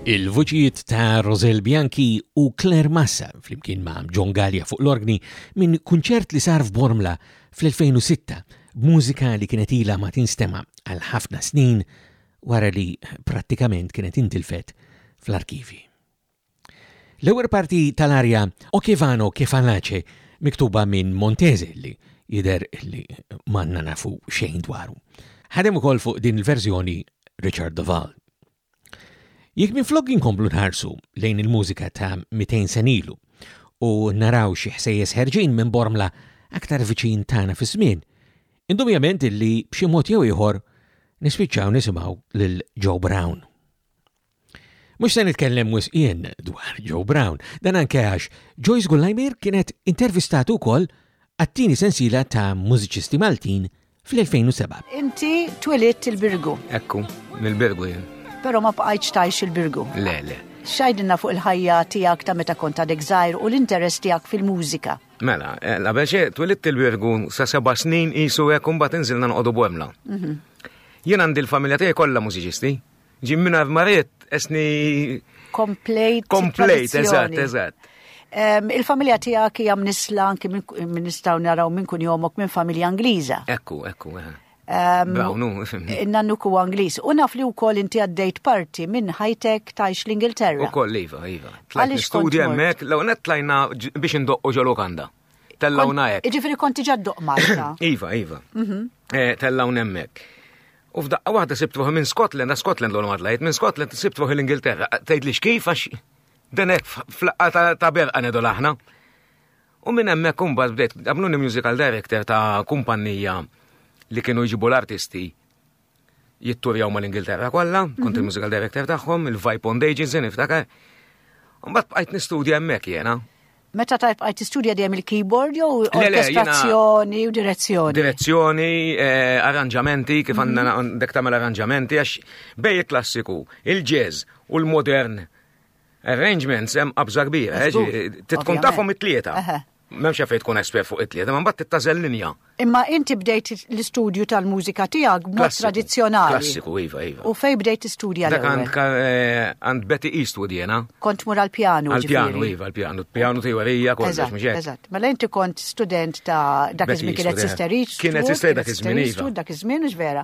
Il-vuċijiet ta' Rosel Bianchi u Claire Massa flimkien ma' John Gallia fuq l-orgni minn kunċert li sar f'Bormla fl-2006 b'mużika li kienet ilha ma tinstema' għal ħafna snin wara li prattikament kienet intilfet fl-arkivi. L-ewwel parti tal-arja O che vano che fallace miktuba minn Montese li jidher li m'għandna nafu xejn dwaru. Ħadem ukoll fuq din il-verżjoni Richard Duvall. Jekk minflok inkomplu nħarsu lejn il-mużika ta' 200 senilu u naraw xi ħsejjes ħerġin minn Bormla aktar viċin tagħna fiż-żmien, indubjament illi b'xi mod jew ieħor nispiċċaw nisimgħu lil Joe Brown. Mhux se nitkellem wisq jien dwar Joe Brown, dan anke għax Joyce Gullajmir kienet intervistatu wkoll għat-tieni sensiela ta' mużiċisti Maltin fl-2007. Inti twilidt il-Birgu. Ekku, mill-Birgu jien. Però ma bqajtx tgħix il-Birgu. Le, le. X'għidilna fuq il-ħajja tiegħek ta' meta kont għadek żgħir u l-interess tiegħek fil-mużika? Mela, eh, qabel xejn twilidt il-Birgu sa seba' snin qisu hekk u mbagħad inżilna noqogħdu Bormla. Mhm. Jien għandi l-familja tiegħi kollha mużiċisti. Ġim minn marit, esni. Komplejt. Komplejt, eżatt, eżatt. Il-familja tiegħek hija mnisla anki minn nistgħu naraw minn kun jomok minn familja Ingliża. Ekku, ekku, eh. Brownu, fimni. Nannu ku Ingliż. U naf li wkoll inti għaddejt parti minn ħajtek tajx l-Ingilterra. Ukoll iva, iva. Tlajt studja hemmhekk, l net tlajna biex indoqqu ġo lukanda. Tellawna hekk. Jiġifieri konti ġa ddoq Malta. Iva, iva. Mhm. Eh, tellawna hemmhekk. U f'daqqa waħda sibt ruħi minn Scotland, għax Scotland l ma tlajt, minn Scotland sibt ruħi l-Ingilterra. Tgħid li xkif għax dan hekk flaqqa ta' berqa ngħidu aħna. U minn hemmhekk imbagħad bdejt għamluni musical director ta' kumpanija li kienu jġibu l-artisti jitturjaw mal-Ingilterra kollha, kont mhm. il-musical director tagħhom, il-Vibe Bond Agency niftakar. Mbagħad bqajt nistudja hemmhekk jiena. Meta tajb bqajt tistudja dejjem il-keyboard jew orkestrazzjoni u direzzjoni? Direzzjoni, eh, arranġamenti, kif għandna mhm. għandek tagħmel arranġamenti għax bej il-klassiku, il-jazz u l-modern arrangements hemm qabża kbira, eh, titkun tafhom it-tlieta. M'hemmx fejn tkun espert fuq it-tlieta, ma mbagħad tittażel linja. Imma inti bdejt l-istudju tal-mużika tiegħek b'mod tradizzjonali. Klassiku, iva, iva. U fej bdejt tistudja Dak eh, għand Betty Eastwood jena. Kont mur għal-pjanu. Għal-pjanu, iva, għal-pjanu. Pjanu teorija, kollox, mhux hekk. Eżatt. Mela inti kont student ta' dak iż-żmien kienet eh. Sister Eastwood. Kienet Sister dak iż-żmien, iva. Dak iż-żmien, mhux vera.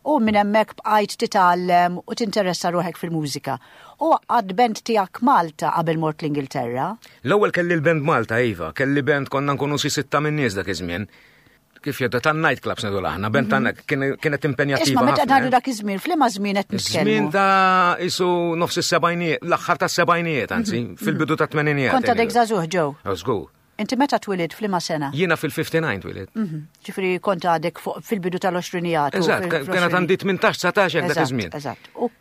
U minn hemmhekk bqajt titgħallem u tinteressa ruħek fil-mużika. U għad band tiegħek Malta qabel mort l-Ingilterra? L-ewwel kelli l-band Malta, iva. Kelli band konna nkunu xi sitta minn nies dak iż-żmien kif jedda tan night clubs nedu aħna, ben tan mhm. kienet impenjattiva. Isma' meta ngħidu dak iż-żmien, f'liema żmien qed nitkellmu? Żmien ta' isu nofs is-sebgħinijiet, l-aħħar tas-sebgħinijiet anzi, mhm. fil-bidu ta' tmeninijiet. Kont għadek żagħżugħ ġew. Oh, żgur. Inti meta twilid f'liema sena? Jiena fil-59 twilid. Mhm. Ġifieri kont għadek fil-bidu tal-20 Eżatt, kienet għandi 18-19 hekk dak iż-żmien. Eżatt. U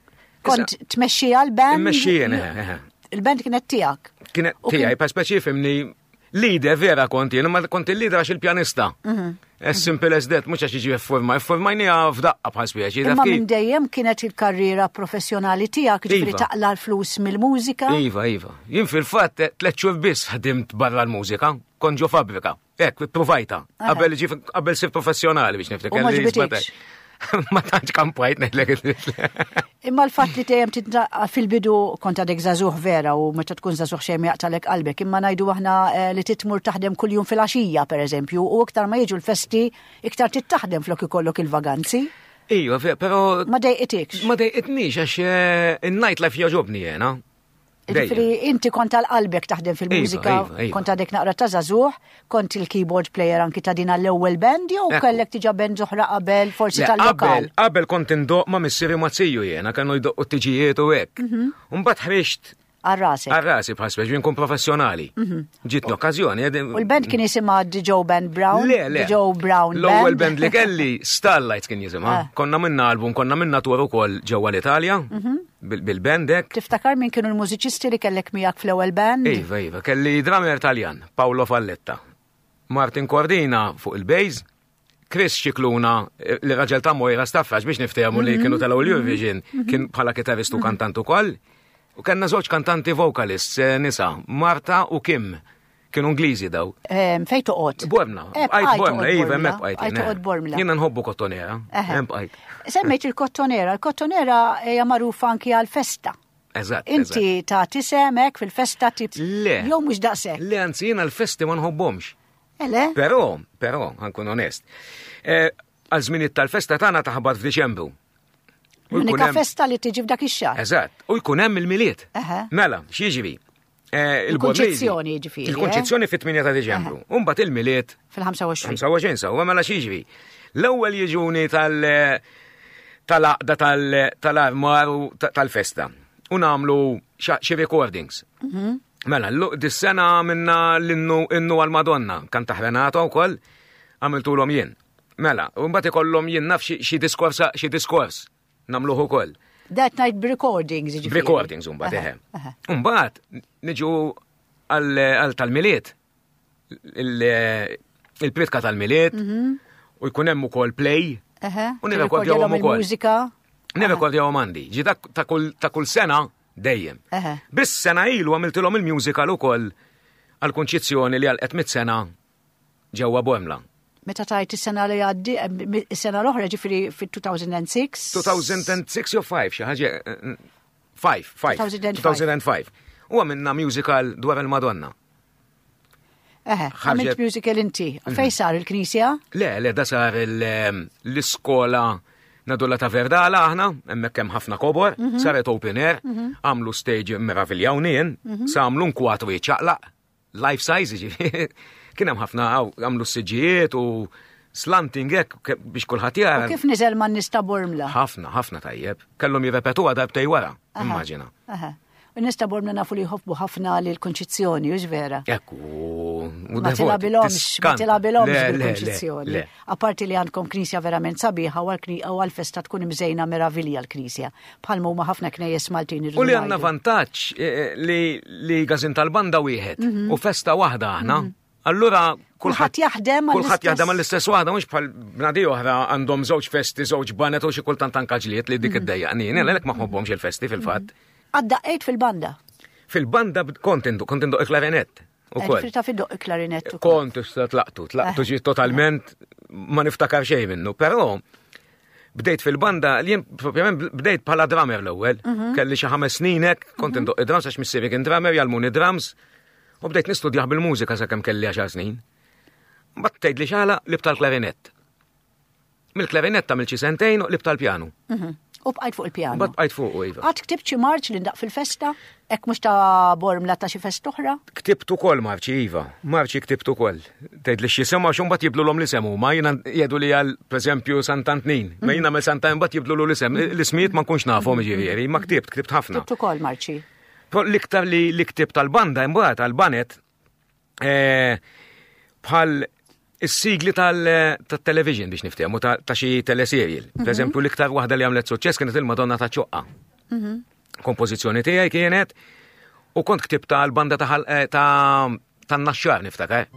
kont tmexxija l-band? Immexxija, eh, eh. Il-band kienet tiegħek. Kienet tiegħi, pa speċi fimni Leader vera kont jien, ma kont il-leader għax il-pjanista. Mhm. As simple as that, mhux għax jiġi forma, formajnija f'daqqa bħal speċi. Imma minn dejjem kienet il-karriera professjonali tiegħek, ġifieri iva. taqla l-flus mill-mużika. Iva, iva. Jien fil-fatt eh, tliet xhur biss ħdimt barra l-mużika, kont ġo fabbrika. Hekk, provajta. Qabel qabel sir professjonali biex niftakar. U ma ġbitikx. Ma tantx kampajt ngħidlek. Imma l-fatt li dejjem titnaqqa fil-bidu kont għadek żagħżugħ vera u meta tkun żagħżugħ xejn ma jaqtalek qalbek, imma ngħidu aħna eh, li titmur taħdem kuljum fil-għaxija pereżempju u iktar ma jiġu l-festi iktar trid flok ikollok il-vaganzi. Iva, però. Ma dejqitikx. Ma dejqitnix għax eh, in-night life jogħġobni jena. Ġifieri inti kont għal qalbek taħdem fil-mużika, iva, iva, iva. kont għadek naqra ta' żagħżugħ, kont il-keyboard player anki ta' din għall-ewwel band jew kellek diġà band oħra qabel forsi tal-lokal. Qabel kont indoq ma' missieri ma' ziju jiena, kienu jdoqqu t-tiġijiet u hekk. Mhm. Mbagħad ħriġt Għal-rasi. Għal-rasi bħal speċi nkun professjonali. Mhm. Ġiet l-okkażjoni. U l-band kien jisimha The Joe Band Brown? Le, le. The Joe Brown L-ewwel band li kelli Starlights kien jisimha. Ah. Konna minna album, konna minna tour ukoll ġewwa l-Italja. Mhm. Bil-band hekk. Tiftakar min kienu l-mużiċisti li kellek miegħek fl-ewwel band? Iva, iva, kelli drummer Taljan, Paolo Falletta. Martin Cordina fuq il-bass, Chris Scicluna, eh, li raġel ta' Moira Staffax biex niftehmu li kienu tal Eurovision, mhm. kien bħala kitarristu mhm. kantant ukoll. U kellna żewġ kantanti vocalists eh, nisa, Marta u Kim. Kienu Ingliżi daw. Fej toqgħod? Bormla. Eh, bqajt Bormla, iva, hemmhekk bqajt. Bqajt toqgħod Bormla. Jiena nħobbu kottonera, hemm bqajt. Semmejt il-kottonera, il-kottonera hija magħrufa anki għal-festa. Eżatt. Inti ta' tisemek fil-festa tip. Le. Jew mhux daqshekk. Le, anzi jiena l-festi ma nħobbhomx. Ele? Però, però, ħankun onest. Eh, għal żminijiet tal-festa tagħna taħbat f'Diċembru. L-unika festa li tiġi f'dak ix-xahar. Eżatt, u jkun hemm il-milied. Mela, x'jiġri? Eh, il-konċezzjoni ġifieri. Eh? Il-konċezzjoni fit-8 ta' Diċembru. Umbagħad il-milied fil-25. 25 sewwa mela x'jiġri. L-ewwel jiġuni tal- tal-aqda tal-armar u tal-festa. U nagħmlu xi recordings. Mhm. Mela, dis-sena minna l-innu innu għal-Madonna, kan taħrenata wkoll, għamiltulhom jien. Mela, u mbagħad ikollhom jien naf xi diskors xi diskors nagħmluh ukoll. That night b'recordings, ġifieri. B'recordings mbagħad eħe. Mbagħad niġu għal tal-milied il-pritka tal-milied mhm. u jkun hemm ukoll play u nirrekordjawhom ukoll. Il-mużika. Nirrekordjawhom għandi. Ġi ta' kull sena dejjem. Biss sena ilu għamiltilhom il-musical ukoll għal-kunċizzjoni li għal mit sena ġewwa Bormla. Meta tajt is-sena li għaddi, eh, is-sena l-oħra ġifieri fit-2006. 2006 jew 5 xi ħaġa 5, 5. 2005. U għamilna musical dwar il-Madonna. Eħe, għamilt musical inti. Mhm. Fej sar il-knisja? Le, le, da sar ehm, l-iskola nadulla ta' Verdala aħna, hemmhekk hemm ħafna kobor, mhm. saret open air, mhm. għamlu stage meraviljawni jien, sa għamlu nkwatru jiċċaqlaq, life size, ġifieri. Kien hemm ħafna għamlu s-siġijiet u slanting hekk biex kulħadd jara. Kif niżel man nista Bormla? Ħafna, ħafna tajjeb. Kellhom jirrepetuha darbtej wara, immaġina. U nies ta' Bormla nafu li jħobbu ħafna lil Kunċizzjoni, hux vera? Ekku, ma tilgħabilhomx, ma tilgħabilhomx bil-Kunċizzjoni. Apparti li għandkom knisja verament sabiħa u għall-festa tkun imżejna meravilja l-knisja. Bħalma huma ħafna knejjes Maltin U li għandna vantaġġ eh, eh, li gazin tal-banda wieħed mhm. u festa waħda aħna. Mhm. Allura kulħadd jaħdem kulħadd jaħdem għall-istess waħda mhux bħal bnadi oħra għandhom żewġ festi, żewġ banet u xi kultant anka ġlied li dik mhm. iddejjaqni. Jien għalhekk ma ħobbhomx il-festi fil-fatt. Għaddaqqejt fil-banda? Fil-banda kont indu, kont indu il-klarinett. Ukoll. Ġifieri taf iddoq il-klarinett ukoll. Kont issa tlaqtu, tlaqtu ġi totalment. ma niftakar xejn minnu, però bdejt fil-banda, li jien propjament bdejt bħala drummer l-ewwel. Mhm. Kelli xi ħames snin hekk, kont mhm. indoq id-drums għax missieri kien drummer, jgħallmuni drums, u bdejt nistudjah bil-mużika sakemm kelli għaxar snin. Mbagħad tgħid li xala lib tal-klarinett. Mill-klarinett għamilt xi sentejn u qlibt tal-pjanu. Mhm. U bqajt fuq il-pjanu. Mbagħad bqajt fuq iva. Qatt ktibt xi marċ li ndaq fil-festa? Hekk mhux ta' Bormla ta' xi festa oħra? Ktibt ukoll marċi iva, marċi ktibt ukoll. Tgħid li x'jisimha għax imbagħad jibdlulhom l-isem huma, jiena jgħidu li għal pereżempju Sant'Antnin. Ma jien nagħmel Santa imbagħad jibdlulu l-isem. L-ismijiet ma nkunx nafhom jiġifieri, ma ktibt, ktibt ħafna. Ktibt ukoll marċi. L-iktar li ktibt tal-banda imbagħad għall-banet Eh, bħal is-sigli tal-television biex niftehmu ta' xi teleserial. Mhm. Per eżempju, l-iktar waħda li għamlet suċċess kienet il-Madonna ta' ċoqqa. Mhm. Kompożizzjoni tiegħi kienet u kont ktibta għal-banda ta' eh, tan-naxxar niftakar.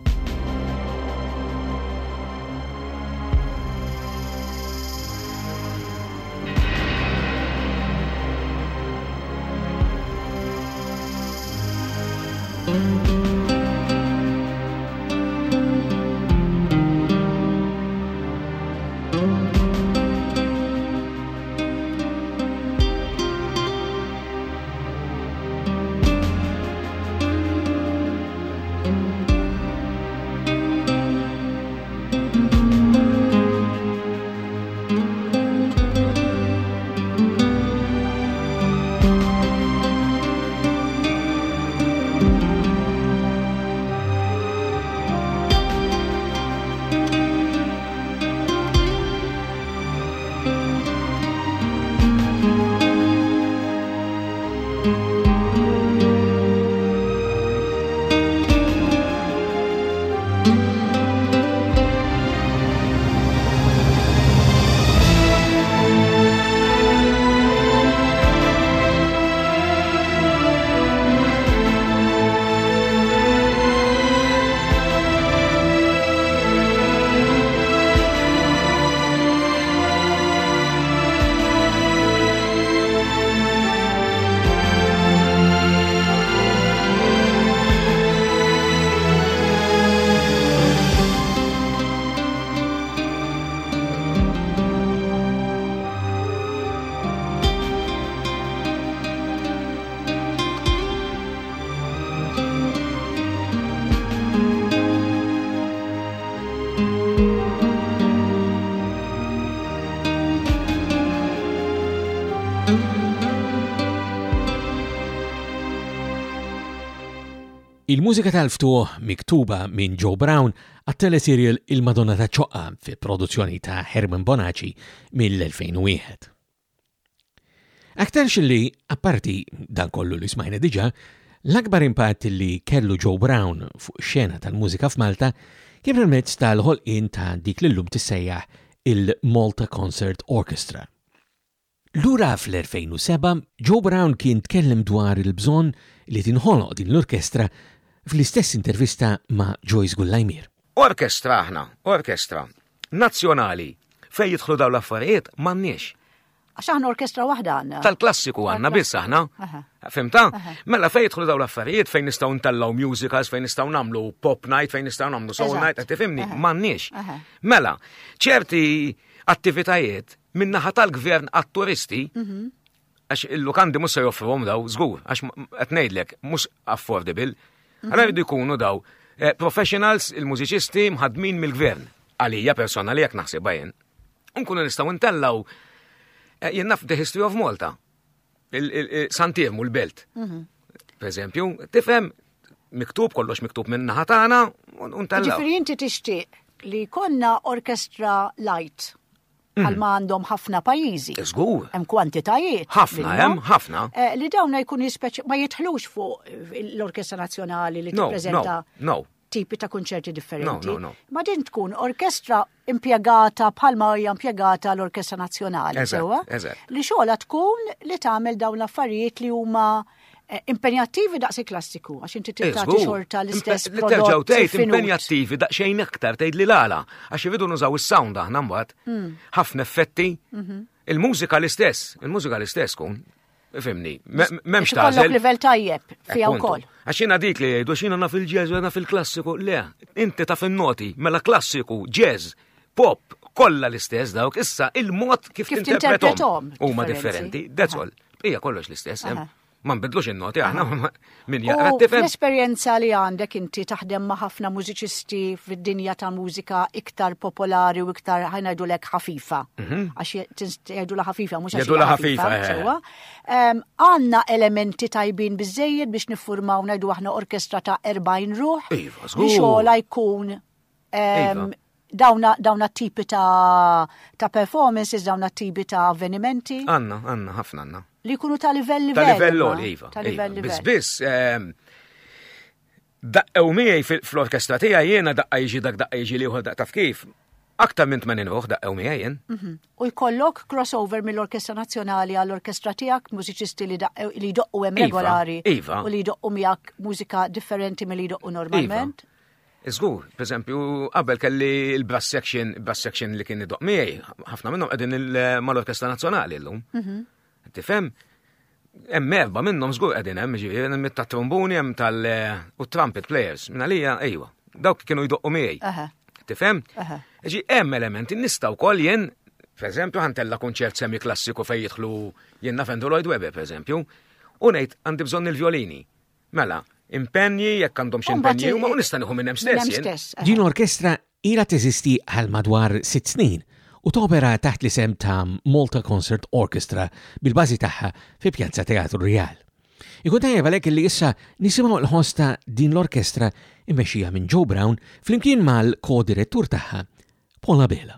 Il-mużika tal-ftuħ miktuba minn Joe Brown għat-teleserial Il-Madonna ta' Ċoqqa fi produzzjoni ta' Herman Bonaci mill-2001. Aktarx li, apparti dan kollu li smajna diġà, l-akbar impatt li kellu Joe Brown fuq ix-xena tal-mużika f'Malta kien permezz tal-ħolqien ta' dik li llum tissejjaħ il-Malta Concert Orchestra. Lura fl-2007, Joe Brown kien tkellem dwar il-bżonn li tinħoloq din l-orkestra fl-istess intervista ma' Joyce Gullajmier. Orkestra aħna, orkestra nazzjonali fejn jidħlu dawn l-affarijiet m'għandniex. Għax aħna orkestra waħda għandna. Tal-klassiku għandna biss aħna. Fimta? Mela fejn jidħlu dawn l-affarijiet fejn nistgħu ntellgħu musicals, fejn nistgħu nagħmlu pop night, fejn nistgħu nagħmlu soul night, qed tifhimni, m'għandniex. Mela, ċerti attivitajiet min-naħa tal-gvern għat-turisti, mhm. għax il-lukandi mhux se joffruhom daw, żgur, għax qed ngħidlek mhux affordable. Mhm. Allora jridu jkunu daw eh, professionals, il-mużiċisti mħadmin mill-gvern. Għalija personali jekk naħsibha jien. Nkunu nistgħu ntellaw eh, jien naf The History of Malta. Santirmu l-belt. Mhm. Per eżempju, tifhem miktub kollox miktub minn naħa tagħna u ntellaw. Ġifieri inti tixtieq li konna orkestra light mhm. bħal ma għandhom ħafna pajjiżi. Żgur. Hemm kwantitajiet. Ħafna hemm, ħafna. Eh, li dawn jkun jispeċi ma jidħlux fuq l-Orkestra Nazzjonali li tippreżenta. No, tipi ta' kunċerti differenti. No, no, no. Ma din tkun orkestra impjegata bħalma hija impjegata l-Orkestra Nazzjonali, sewwa? Eżatt. Li xogħla tkun li tagħmel dawn l-affarijiet li huma eh, impenjattivi daqs il-klassiku, għax inti eh, tagħti xorta l-istess Li terġgħu tgħid impenjattivi daqsxejn aktar tgħid li l-għala, għax iridu nużaw is-sound aħna mbagħad. Hmm. Ħafna effetti. Mhm. Il-mużika l-istess, il-mużika l-istess kun. Fimni, memx ta' Kollok livell tajjeb fija wkoll. Għax jiena dik li jgħidu x'jiena naf il-jazz u naf il-klassiku, le, inti taf in-noti, mela klassiku, jazz, Pop, kollha l-istess dawk, issa il-mod kif Kif tinterpretom tinterpretom huma differenzi. differenti. That's all. Hija kollox l-istess. Ma nbidlux in-noti aħna min U jaqra tifhem. l-esperjenza li għandek inti taħdem ma' ħafna mużiċisti fid-dinja ta' mużika iktar popolari u iktar ħa ngħidulek ħafifa. Għax jgħidulha ħafifa, mhux għax Jgħidulha hija ħafifa, eh. sewwa. Għandna elementi tajbin biżejjed biex niffurmaw ngħidu aħna orkestra ta' 40 ruħ. Iva, Li żgur. xogħla jkun Iva. dawna tipi ta' performances, dawna tipi ta' avvenimenti. Għandna, għandna, ħafna għandna. Li jkunu ta' livell livell. Ta' livell imma. għoli, iva. Ta' livell iva. Biss, livell. biss, daqqew miegħi fl-orkestra tiegħi jiena daqqa jiġi dak daqqa jiġi l-ieħor daqqa taf kif. Aktar minn 80 ruħ daqqew miegħi jien. U jkollok crossover mill-Orkestra Nazzjonali għall-orkestra tiegħek, mużiċisti li li jdoqqu hemm Iva, regolari iva. u li jdoqqu miegħek mużika differenti milli jdoqqu normalment. Iva. Żgur, per eżempju, qabel kelli il-brass section, brass section li kien idoq miegħi, ħafna minnhom qegħdin mal-Orkestra Nazzjonali llum. Tifhem? Hemm erba' minnhom żgur qegħdin hemm, ġifieri hemm tat-trombuni, hemm tal u trumpet players. Minn għalija ejwa, dawk kienu jdoqqu miegħi. Tifhem? Ġi hemm elementi nista' wkoll jien, per eżempju, ħantella kunċert semi klassiku fejn jidħlu jien naf Andrew Lloyd Webber, per eżempju, u ngħid għandi bżonn il-violini. Mela, impenji jekk għandhom xi U mbagħad impenji huma u nista' nieħu minn hemm Minn stess hemm jien. stess, aha. Din l-orkestra ilha teżisti għal madwar 6 snin u topera taħt l-isem ta' Malta Concert Orchestra bil-bażi tagħha fi Pjazza Teatru Real. Ikun tajjeb għalhekk li issa nisimgħu l-ħoss ta' din l-orkestra immexxija minn Joe Brown flimkien mal-ko-direttur tagħha Paul Abela.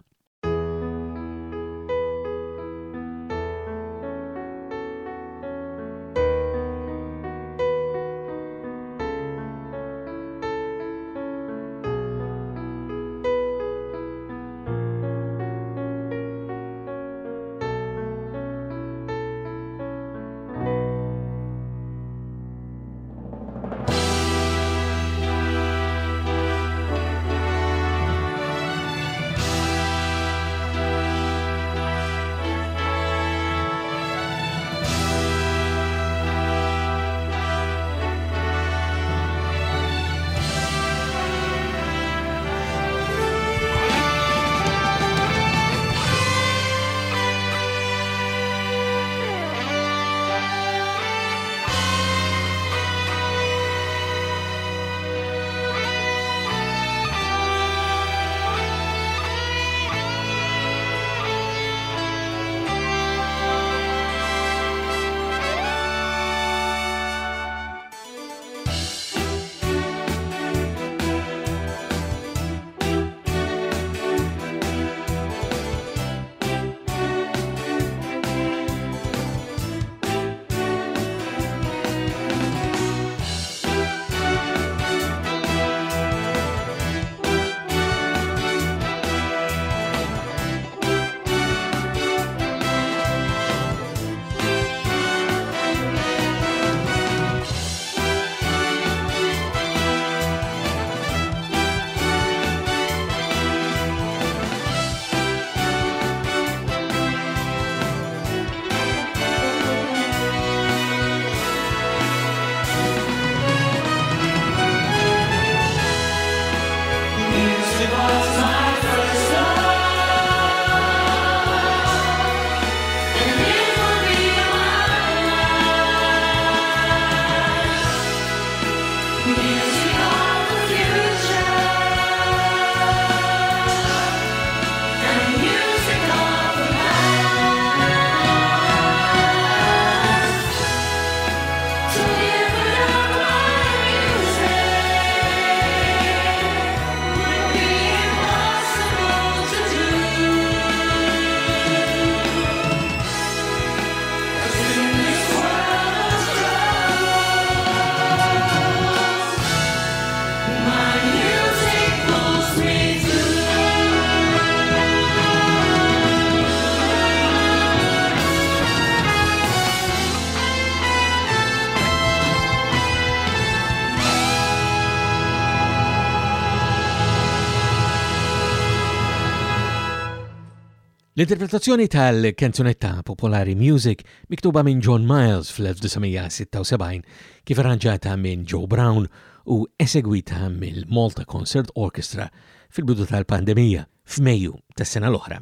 L-interpretazzjoni tal-kanzunetta popolari Music miktuba minn John Miles fl-1976 kif arranġata minn Joe Brown u esegwita mill-Malta Concert Orchestra fil-bidu tal-pandemija. f'Mejju tas-sena l-oħra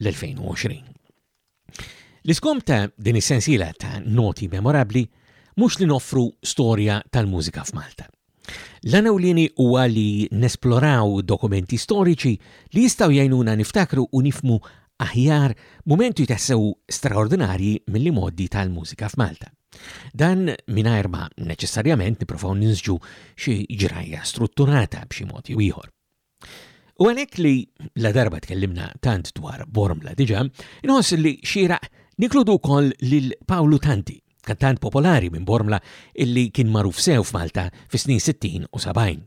l-2020. L-iskom ta' din is-sensiela ta' noti memorabbli mhux li noffru storja tal-mużika f'Malta. L-għan ewlieni huwa li nesploraw dokumenti storiċi li jistgħu jgħinuna niftakru u nifhmu aħjar mumenti tassew straordinarji mill-imgħoddi tal-mużika f'Malta. Dan mingħajr ma neċessarjament nipprovaw ninsġu xi ġrajja strutturata b'xi mod jew ieħor. U għalhekk li la darba tkellimna tant dwar Bormla diġà, inħoss li xieraq ninkludu wkoll lil Pawlu Tanti, kantant popolari minn Bormla illi kien magħruf sew f'Malta fis-snin 60 u 70.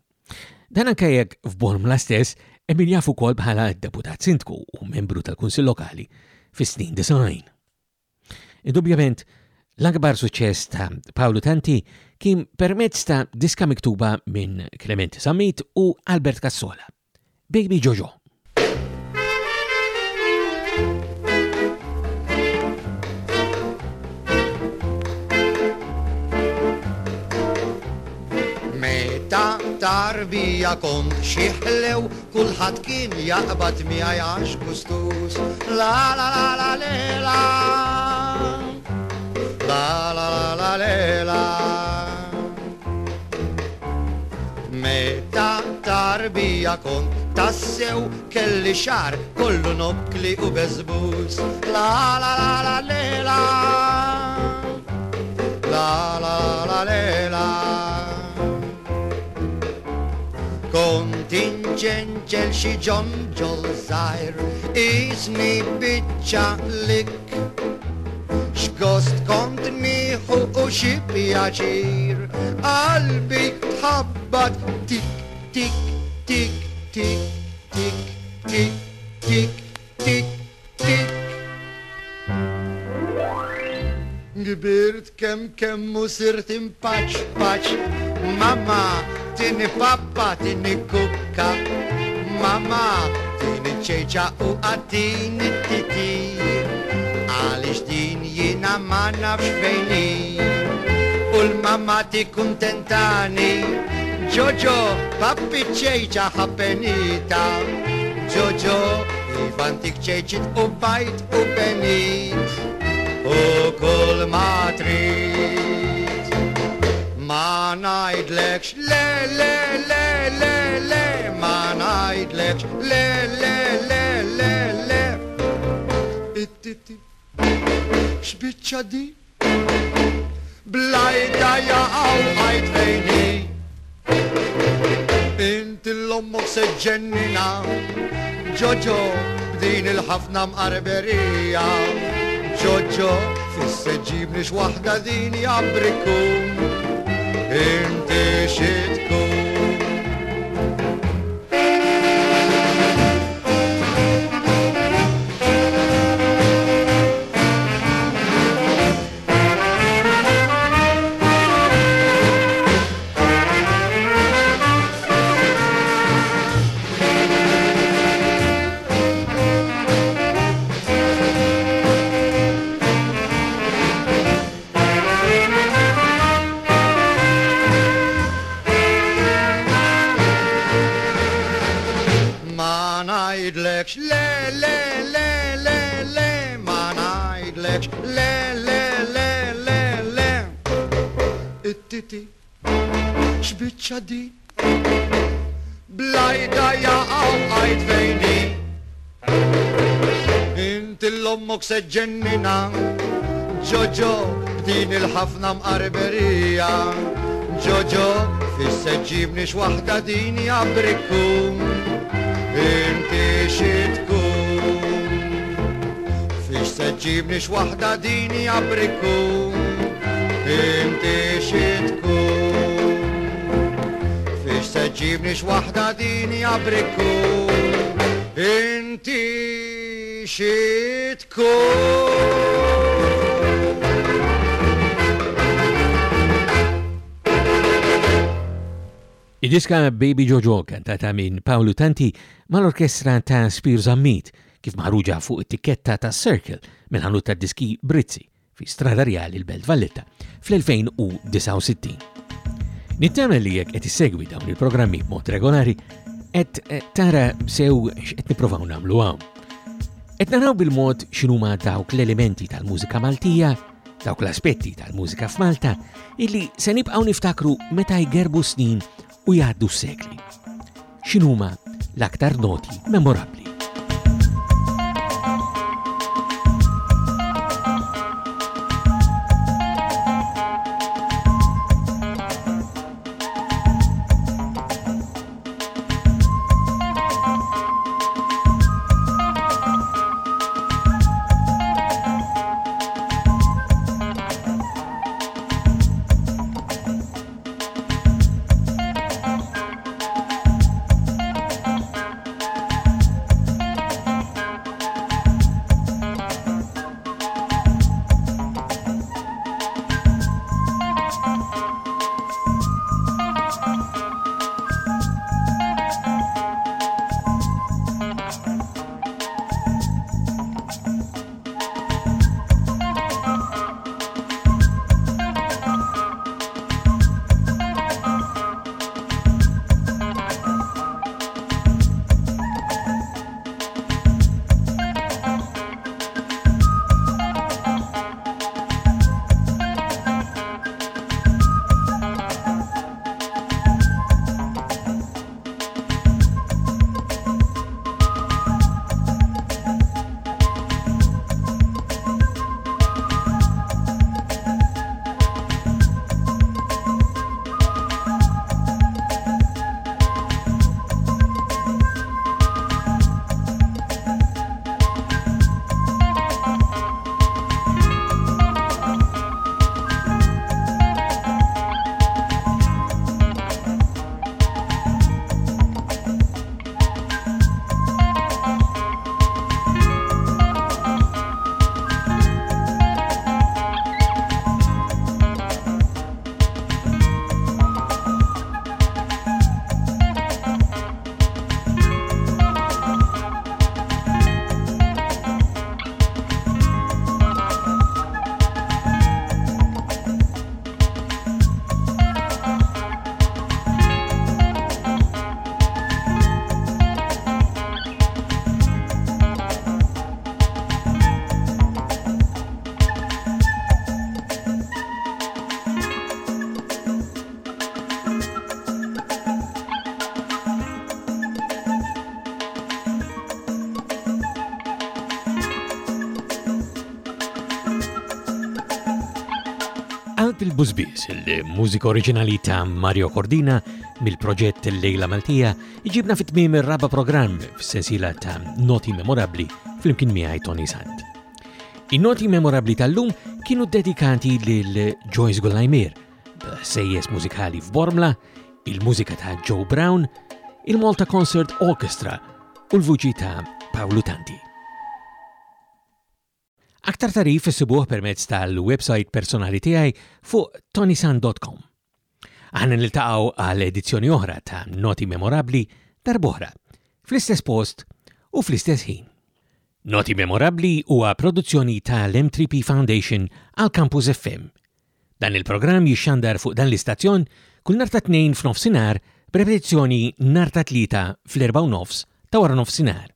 Dan anke jekk f'Bormla stess hemm min jaf ukoll bħala deputat sindku u membru tal-Kunsill Lokali fis-snin 90. Indubjament, l-akbar suċċess ta' Paolo Tanti kien permezz ta' diska miktuba minn Clementi Sammit u Albert Cassola, Baby Jojo. Meta tarbija kont xi ħlew Kulħadd kien jaqbad miegħi għax gustuż. La la la la le la. La la la la le la. Meta tarbija kont tassew kelli xar kollu nokkli u beżbuż. La la la la le la. La la la le la. Kont inġenġel xi ġonġol żgħir qisni biċċa likk. X'gost kont nieħu u xi pjaċir, qalbi tħabbat tik tik tik tik tik tik tik tik tik. Kbirt kemm kemm u sirt impaċ paċ. Mama tini pappa tini kukka. Mama tini ċejċa u għatini titi. Għaliex din jiena ma nafx fejni. U l-mama ti kuntentani. Ġoġo, pappi ċejċa ħappenita. Ġoġo, iva ntik ċejċit u bajt u benit. U kull ma trid. Ma ngħidlekx le le le le le ma ngħidlekx le le le le le. It-titi x'biċċa di? Blajda jaqaw għajt fejni. Inti l-ommok se ġennina, ġoġo b'din il-ħafna mqarberija. Ġoġo fisse ġibni x'waħda din jabrikum. Inti xi tkun. Ma ngħidlekx le le le le le ma ngħidlekx le le le le le It-titi x'biċċa di Blajda jaqaw għajt fejni Inti l-ommok se ġennina Ġoġo b'din il-ħafna mqarberija Ġoġo fisse ġibni x'waħda din jabrikum Inti xi tkun Fix se ġibni x'waħda din jabrikum Inti xi tkun Fix se ġibni x'waħda din jabrikum Inti xi tkun Id-diska Baby Jojo kantata minn Paolo Tanti mal-orkestra ta' Spir Zammit kif maħruġa fuq it-tikketta ta' Circle mill-ħanut ta' diski Brizzi fi Strada Rjali l-Belt Valletta fl-2069. Nittama li jekk qed issegwi dawn il-programmi b'mod regolari, qed eh, tara sew x'qed nipprovaw nagħmlu hawn. Qed naraw bil-mod x'inhuma dawk l-elementi tal-mużika Maltija, dawk l-aspetti tal-mużika f'Malta illi se nibqgħu niftakru meta jgerbu snin u jgħaddu s-sekli. X'inhuma l-aktar noti memorabbli? Qalb il-Bużbież, il-mużika oriġinali ta' Mario Cordina mill-proġett Lejla Maltija, iġibna fit-tmiem ir-raba' programm fis-sensiela ta' Noti Memorabbli flimkien miegħi Tony Sant. In-noti memorabbli tal-lum kienu dedikati lil Joyce Gullajmir, sejjes mużikali f'Bormla, il-mużika ta' Joe Brown, il-Malta Concert Orchestra u l-vuċi ta' Paolo Tanti. Aktar tarif issibuh permezz tal-website personali tiegħi fuq tonisan.com. Aħna niltaqgħu għal edizzjoni oħra ta' Noti Memorabbli darb'oħra, fl-istess post u fl-istess ħin. Noti Memorabbli huwa produzzjoni tal-M3P Foundation għal Campus FM. Dan il-programm jixxandar fuq dan l-istazzjon kull nhar ta' Tnejn f'nofsinhar b'repetizzjoni nhar ta' Tlieta fl-4 nofs ta' wara nofsinhar.